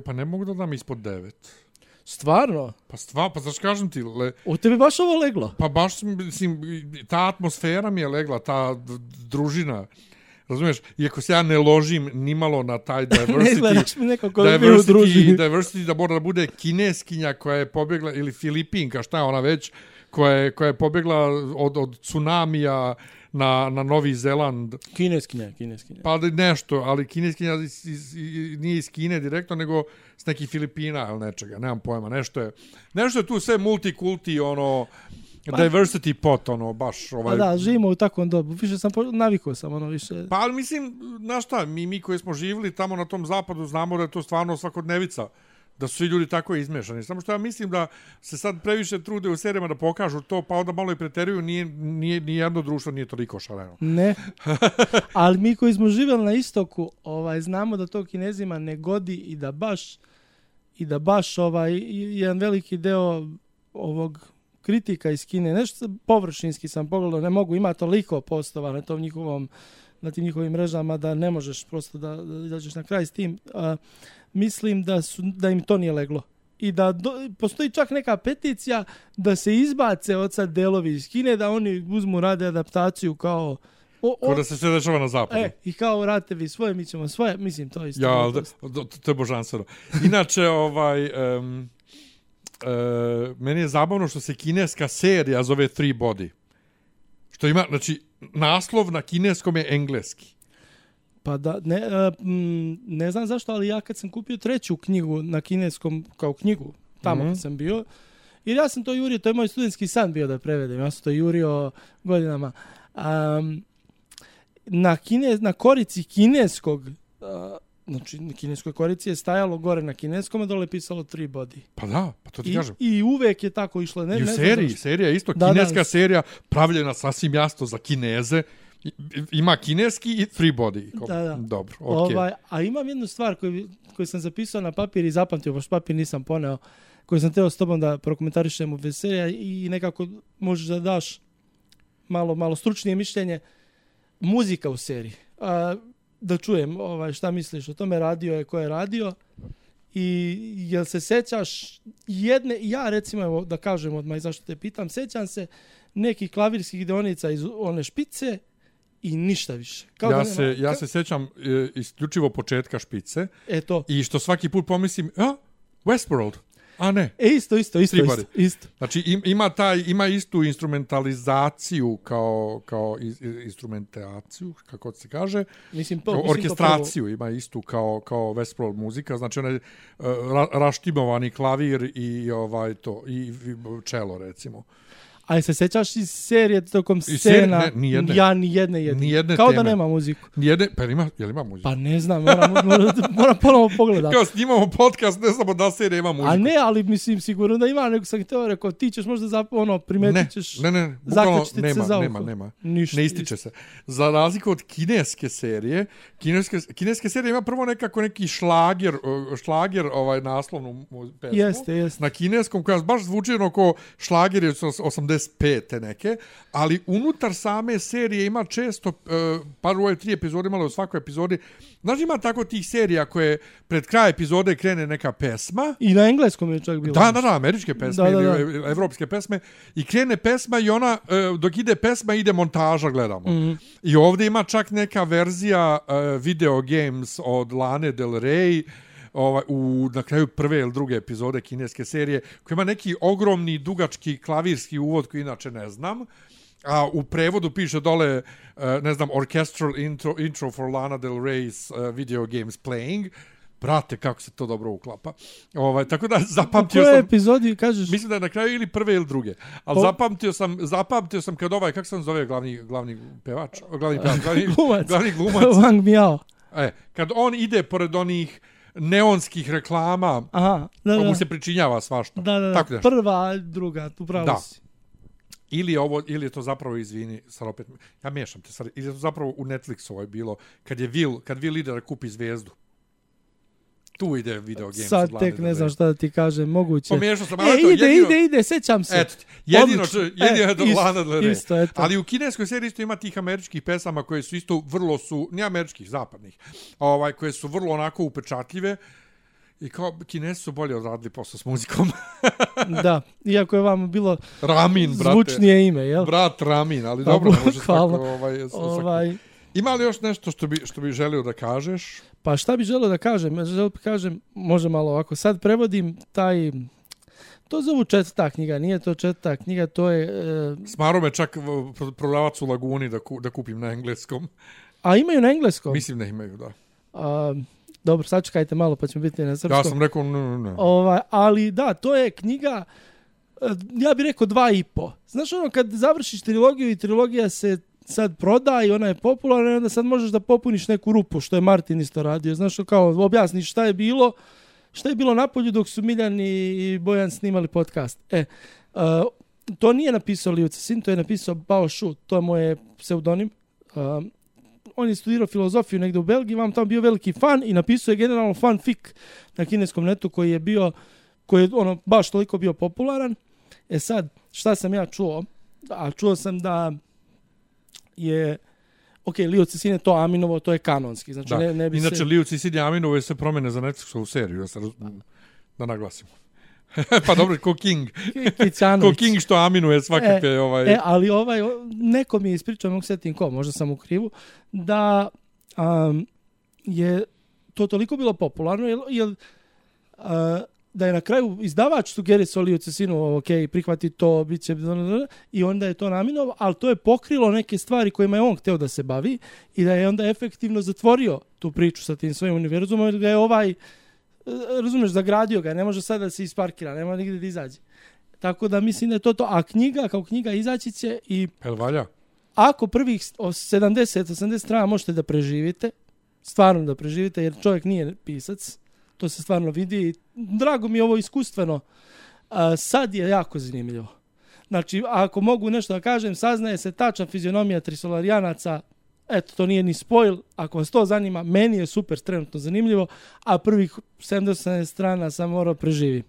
Pa ne mogu da dam ispod 9. Stvarno? Pa znaš kažem ti... U tebi baš ovo leglo? Pa baš, mislim, ta atmosfera mi je legla, ta družina. Razumiješ? Iako se ja ne ložim nimalo na taj diversity... Ne izgledaš mi neko ko bi bio u družini. Diversity da mora da bude kineskinja koja je pobjegla, ili Filipinka, šta je ona već, koja je pobjegla od tsunamija na Novi Zeland. Kineskinja. Pa nešto, ali kineskinja nije iz Kine direktno, nego s nekih Filipina ili nečega, nemam pojma. Nešto je tu sve multikulti, diversity pot, baš Pa da, živimo u takvom dobu. Više sam navikao sam, više. Pa ali mislim, znaš šta, mi koji smo živjeli tamo na tom zapadu znamo da je to stvarno svakodnevica. Da su svi ljudi tako izmešani. Samo što ja mislim da se sad previše trude u serijama da pokažu to, pa onda malo i preteruju, nije jedno društvo nije toliko šareno. Ne. Ali mi koji smo živjeli na istoku, znamo da to Kinezima ne godi i da baš jedan veliki deo ovog kritika iz Kine, nešto površinski sam pogledao, ne mogu, ima toliko postova na tim njihovim mrežama da ne možeš prosto da izađeš na kraj s tim. Mislim da im to nije leglo. I da postoji čak neka peticija da se izbace od sad delovi iz Kine, da oni uzmu, rade adaptaciju kao... Kao da se sve dešava na zapadu. I kao radite vi svoje, mi ćemo svoje. Mislim, to isto. To je božanstveno. Inače, meni je zabavno što se kineska serija zove Three Body. Što ima, znači, naslov na kineskom je engleski. Pa da, ne znam zašto, ali ja kad sam kupio treću knjigu na kineskom, kao knjigu, tamo kad sam bio, jer ja sam to jurio, to je moj studentski san bio da prevedem, ja sam to jurio godinama. Na korici kineskog, znači na kineskoj korici je stajalo gore na kineskom, a dole je pisalo 3 body. Pa da, pa to ti kažem. I uvek je tako išlo. I u serija isto, kineska serija, pravljena sasvim jasno za Kineze, ima kineski i 3 body. Da. Dobro, okej. A imam jednu stvar koju sam zapisao na papir i zapamtio, baš papir nisam poneo, koju sam teo s tobom da prokomentarišem u veselja i nekako možeš da daš malo stručnije mišljenje. Muzika u seriji. Da čujem šta misliš o tome, radio je ko je radio i jel se sećaš jedne, ja recimo, evo, da kažem odmah zašto te pitam, sećam se nekih klavirskih deonica iz one špice i ništa više. Ja se sećam isključivo početka špice. Eto. I što svaki put pomislim, Westworld. A ne. Isto. Znači ima istu instrumentalizaciju kao instrumentaciju, kako se kaže. Orkestraciju ima istu kao Westworld muzika, znači onaj raštimovani klavir i i čelo recimo. A se sećaš iz serije tokom scena? Ja ni jedne kao teme. Da nema muziku. Pa jel ima muziku? Pa ne znam, moram ponovo pogledati. Kao snimamo podcast, ne znamo da serija ima muziku. A ne, ali mislim sigurno da ima, nego sam htio rekao, ti ćeš možda primetit ćeš. Ne, nema. Ne ističe se. Za razliku od kineske serije, kineske serije ima prvo neki šlager naslovnu pesmu. Jeste. Na kineskom, koja baš zvuči oko šlager je 85 neke, ali unutar same serije ima često, par u ove 3 epizode imalo u svakoj epizodi, znaš ima tako tih serija koje pred kraj epizode krene neka pesma. I na engleskom je čak bilo. Da, američke pesme ili evropske pesme. I krene pesma i ona, dok ide pesma, ide montaža, gledamo. Mm-hmm. I ovdje ima čak neka verzija Video Games od Lane Del Rey, na kraju prve ili druge epizode kineske serije, koja ima neki ogromni, dugački klavirski uvod koji inače ne znam, a u prevodu piše dole, ne znam, Orchestral intro for Lana Del Rey's Video Games Playing. Brate, kako se to dobro uklapa. Tako da zapamtio sam... U kojoj epizodi kažeš? Mislim da je na kraju ili prve ili druge. Ali zapamtio sam kad kako se on zove glavni pevač? Glavni glumac. Wang Miao. Kad on ide pored onih neonskih reklama, mu se pričinjava svašta. Da. Tako prva, druga, tu pravo si. Ili je to zapravo, izvini, sad opet, ja miješam te sad, ili je to zapravo u Netflixu bilo, kad Will ide da kupi zvezdu. Tu ide Video Games. Sad tek ne znam šta da ti kažem, moguće. Pomiješao sam. Ide, sećam se. Eto, jedino je do Lana Del Rey. Isto, eto. Ali u kineskoj seriji isto ima tih američkih pesama koje su isto vrlo ne američkih, zapadnih, koje su vrlo onako upečatljive. I kao Kinezi su bolje odradili posao s muzikom. Da, iako je vam bilo Ramin, zvučnije ime, jel? Brat Ramin, ali dobro, može svako. Ima li još nešto što bi želio da kažeš? Pa šta bi želio da kažem? Može malo ovako. Sad prevodim to zovu 4. knjiga, nije to 4. knjiga, to je... Smaro me čak prodavac u Laguni da kupim na engleskom. A imaju na engleskom? Mislim da imaju, da. Dobro, sačekajte malo pa ćemo biti na srpskom. Ja sam rekao ne. Ali da, to je knjiga, ja bih rekao 2,5. Znaš kad završiš trilogiju i trilogija se sad proda i ona je popularna i onda sad možeš da popuniš neku rupu, što je Martin isto radio. Znaš kao objasniš šta je bilo napolju dok su Miljan i Bojan snimali podcast. To nije napisao Liu Cixin, to je napisao Bao Shu, to je moj pseudonim. On je studirao filozofiju negdje u Belgiji, vam tamo bio veliki fan i napisao je generalno fanfic na kineskom netu koji je baš toliko bio popularan. Sad, šta sam ja čuo? Čuo sam da je Liu Cixin je to Aminovo, to je kanonski. Znači, ne bi inače, Liu Cixin je Aminovo je se promene za Netflixovu seriju, da naglasimo. Pa dobro, ko King. Ko King što aminuje svakakve... Ali neko mi je ispričao, mogu setim ko, možda sam u krivu, da je to toliko bilo popularno, jer da je na kraju izdavač sugerisao Liu Cixinu, ok, prihvati to, bit će, i onda je to naminovao, ali to je pokrilo neke stvari kojima je on hteo da se bavi i da je onda efektivno zatvorio tu priču sa tim svojim univerzumom, jer ga je razumeš, zagradio ga, ne može sad da se isparkira, nema nigde da izađe. Tako da mislim da je to. A knjiga, kao knjiga izaći će i... Jel valja? Ako prvih 70-80 strana možete da preživite, stvarno da preživite, jer čovjek nije pisac, to se stvarno vidi. Drago mi je ovo iskustveno. Sad je jako zanimljivo. Znači, ako mogu nešto da kažem, saznaje se tačna fizionomija Trisolarijanaca. Eto, to nije ni spoil. Ako vas to zanima, meni je super trenutno zanimljivo, a prvih 70 strana sam morao preživim.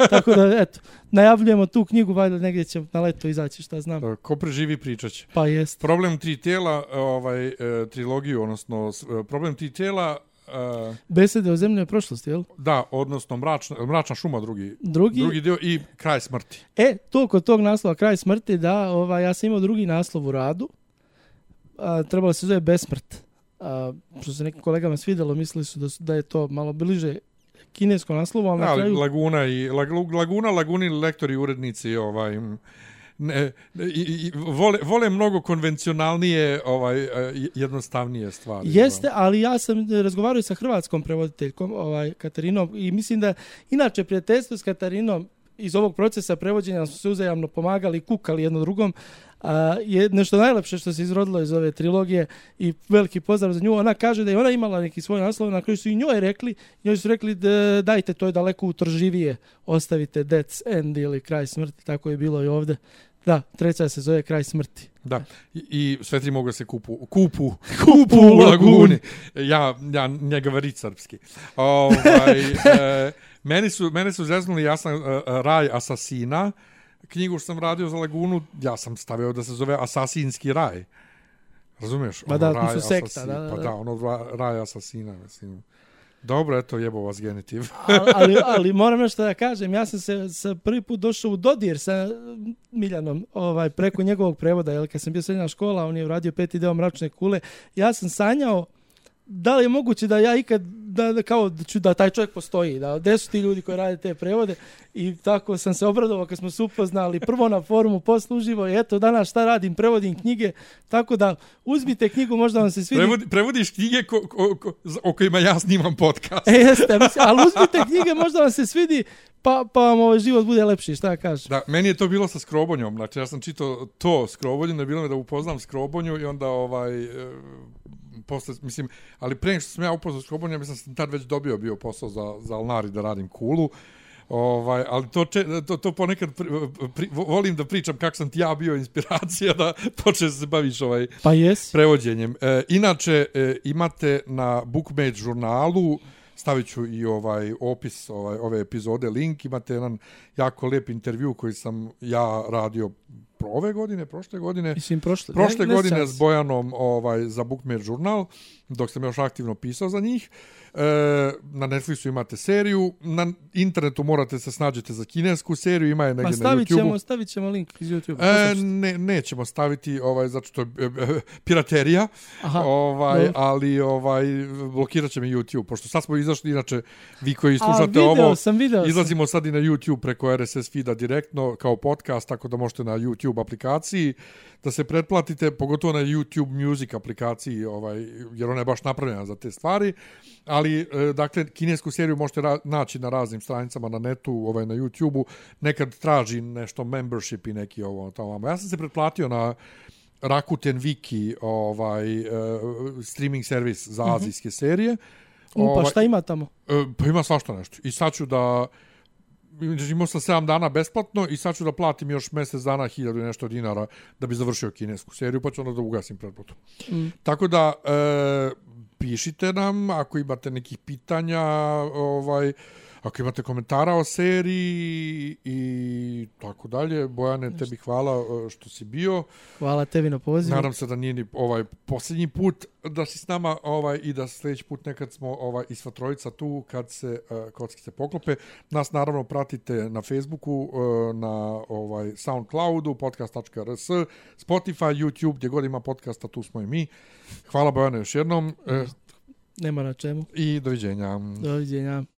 Tako da, eto, najavljujemo tu knjigu, valjda negdje će na leto izaći, šta znam. Ko preživi pričat će. Pa jest. Problem 3 tijela, trilogiju, odnosno problem 3 tijela... Besede o zemljoj prošlosti, jel? Da, odnosno Mračna šuma, drugi dio i Kraj smrti. To kod tog naslova Kraj smrti, da, ja sam imao drugi naslov u radu. Trebalo se zove Besmrt. Što se nekim kolegama svidjelo, mislili su da je to malo bliže kineskom naslovu, ali na kraju... Laguni, lektori, urednici, vole mnogo konvencionalnije, jednostavnije stvari. Jeste, ali ja sam razgovarao sa hrvatskom prevoditeljkom, Katarinom, i mislim da inače prijateljstvo s Katarinom iz ovog procesa prevođenja smo se uzajamno pomagali i kukali jedno drugom. Je nešto najlepše što se izrodilo iz ove trilogije i veliki pozdrav za nju. Ona kaže da je ona imala neki svoj naslov na koju su i njoj rekli dajte to je daleko utrživije, ostavite Death's End ili Kraj smrti, tako je bilo i ovdje. Da, treća se zove Kraj smrti. Da, i sve tri mogu se kupu u laguni. Ja njega varit srpski. Mene su zeznuli, ja sam Raj asasina, knjigu što sam radio za Lagunu, ja sam stavio da se zove Asasinski raj. Razumiješ? Pa da, to su sekta. Pa da, Raj asasina, mislim. Dobro, eto, jebo vas genitiv. ali moram nešto da kažem, ja sam se prvi put došao u dodir sa Miljanom preko njegovog prevoda, jer kad sam bio srednja škola, on je uradio 5. deo Mračne kule, ja sam sanjao da li je moguće da ja ikad da taj čovjek postoji, da gde su ti ljudi koji rade te prevode, i tako sam se obradovao kad smo se upoznali prvo na forumu, posle uživo, i eto danas šta radim, prevodim knjige, tako da uzmite knjigu, možda vam se svidi. Prevodiš knjige o kojima ja snimam podcast. Jeste, ali uzmite knjige, možda vam se svidi, pa vam život bude lepši, šta kažeš? Da, meni je to bilo sa Skrobonjom, znači ja sam čitao to Skrobonju, ne bilo mi da upoznam Skrobonju i onda posle, mislim, ali pre nego što sam ja upoznao Skrobonja, mislim sam tad već dobio bio posao za Alnari da radim Kulu. Ali to ponekad volim da pričam kako sam ti ja bio inspiracija da počneš se baviš prevođenjem. Inače, imate na Bookmate žurnalu, stavit ću i opis ove epizode, link, imate jedan jako lijep intervju koji sam ja radio prošle godine. Mislim, prošle godine s Bojanom za Bookmate žurnal, dok sam još aktivno pisao za njih. Na Netflixu imate seriju, na internetu morate se snađete za kinesku seriju, ima je negdje na YouTubeu. Stavit ćemo link iz YouTube. Nećemo staviti, zato što je piraterija, ali blokirat će mi YouTube, pošto sad smo izašli, inače vi koji slušate ovo, izlazimo sad i na YouTube preko RSS feeda direktno kao podcast, tako da možete na YouTube aplikaciji da se pretplatite, pogotovo na YouTube Music aplikaciji, jer ona je baš napravljena za te stvari, ali, dakle, kinesku seriju možete naći na raznim stranicama na netu, na YouTubeu, nekad traži nešto membership i neki tamo. Ja sam se pretplatio na Rakuten Wiki, streaming servis za azijske serije. Pa šta ima tamo? Pa ima svašta nešto. I sad ću da... Imao sam 7 dana besplatno i sad ću da platim još mjesec dana 1000 i nešto dinara da bi završio kinesku seriju, pa ću onda da ugasim pretplatu. Tako da, pišite nam ako imate nekih pitanja, ako imate komentara o seriji i tako dalje. Bojane, tebi hvala što si bio. Hvala tebi na pozivu. Nadam se da nije ni posljednji put da si s nama i da sljedeći put nekad smo i sva trojica tu kad se kocki se poklope. Nas naravno pratite na Facebooku, na Soundcloudu, podcast.rs, Spotify, YouTube, gdje god ima podcasta, tu smo i mi. Hvala Bojane još jednom. Nema na čemu. I doviđenja. Doviđenja.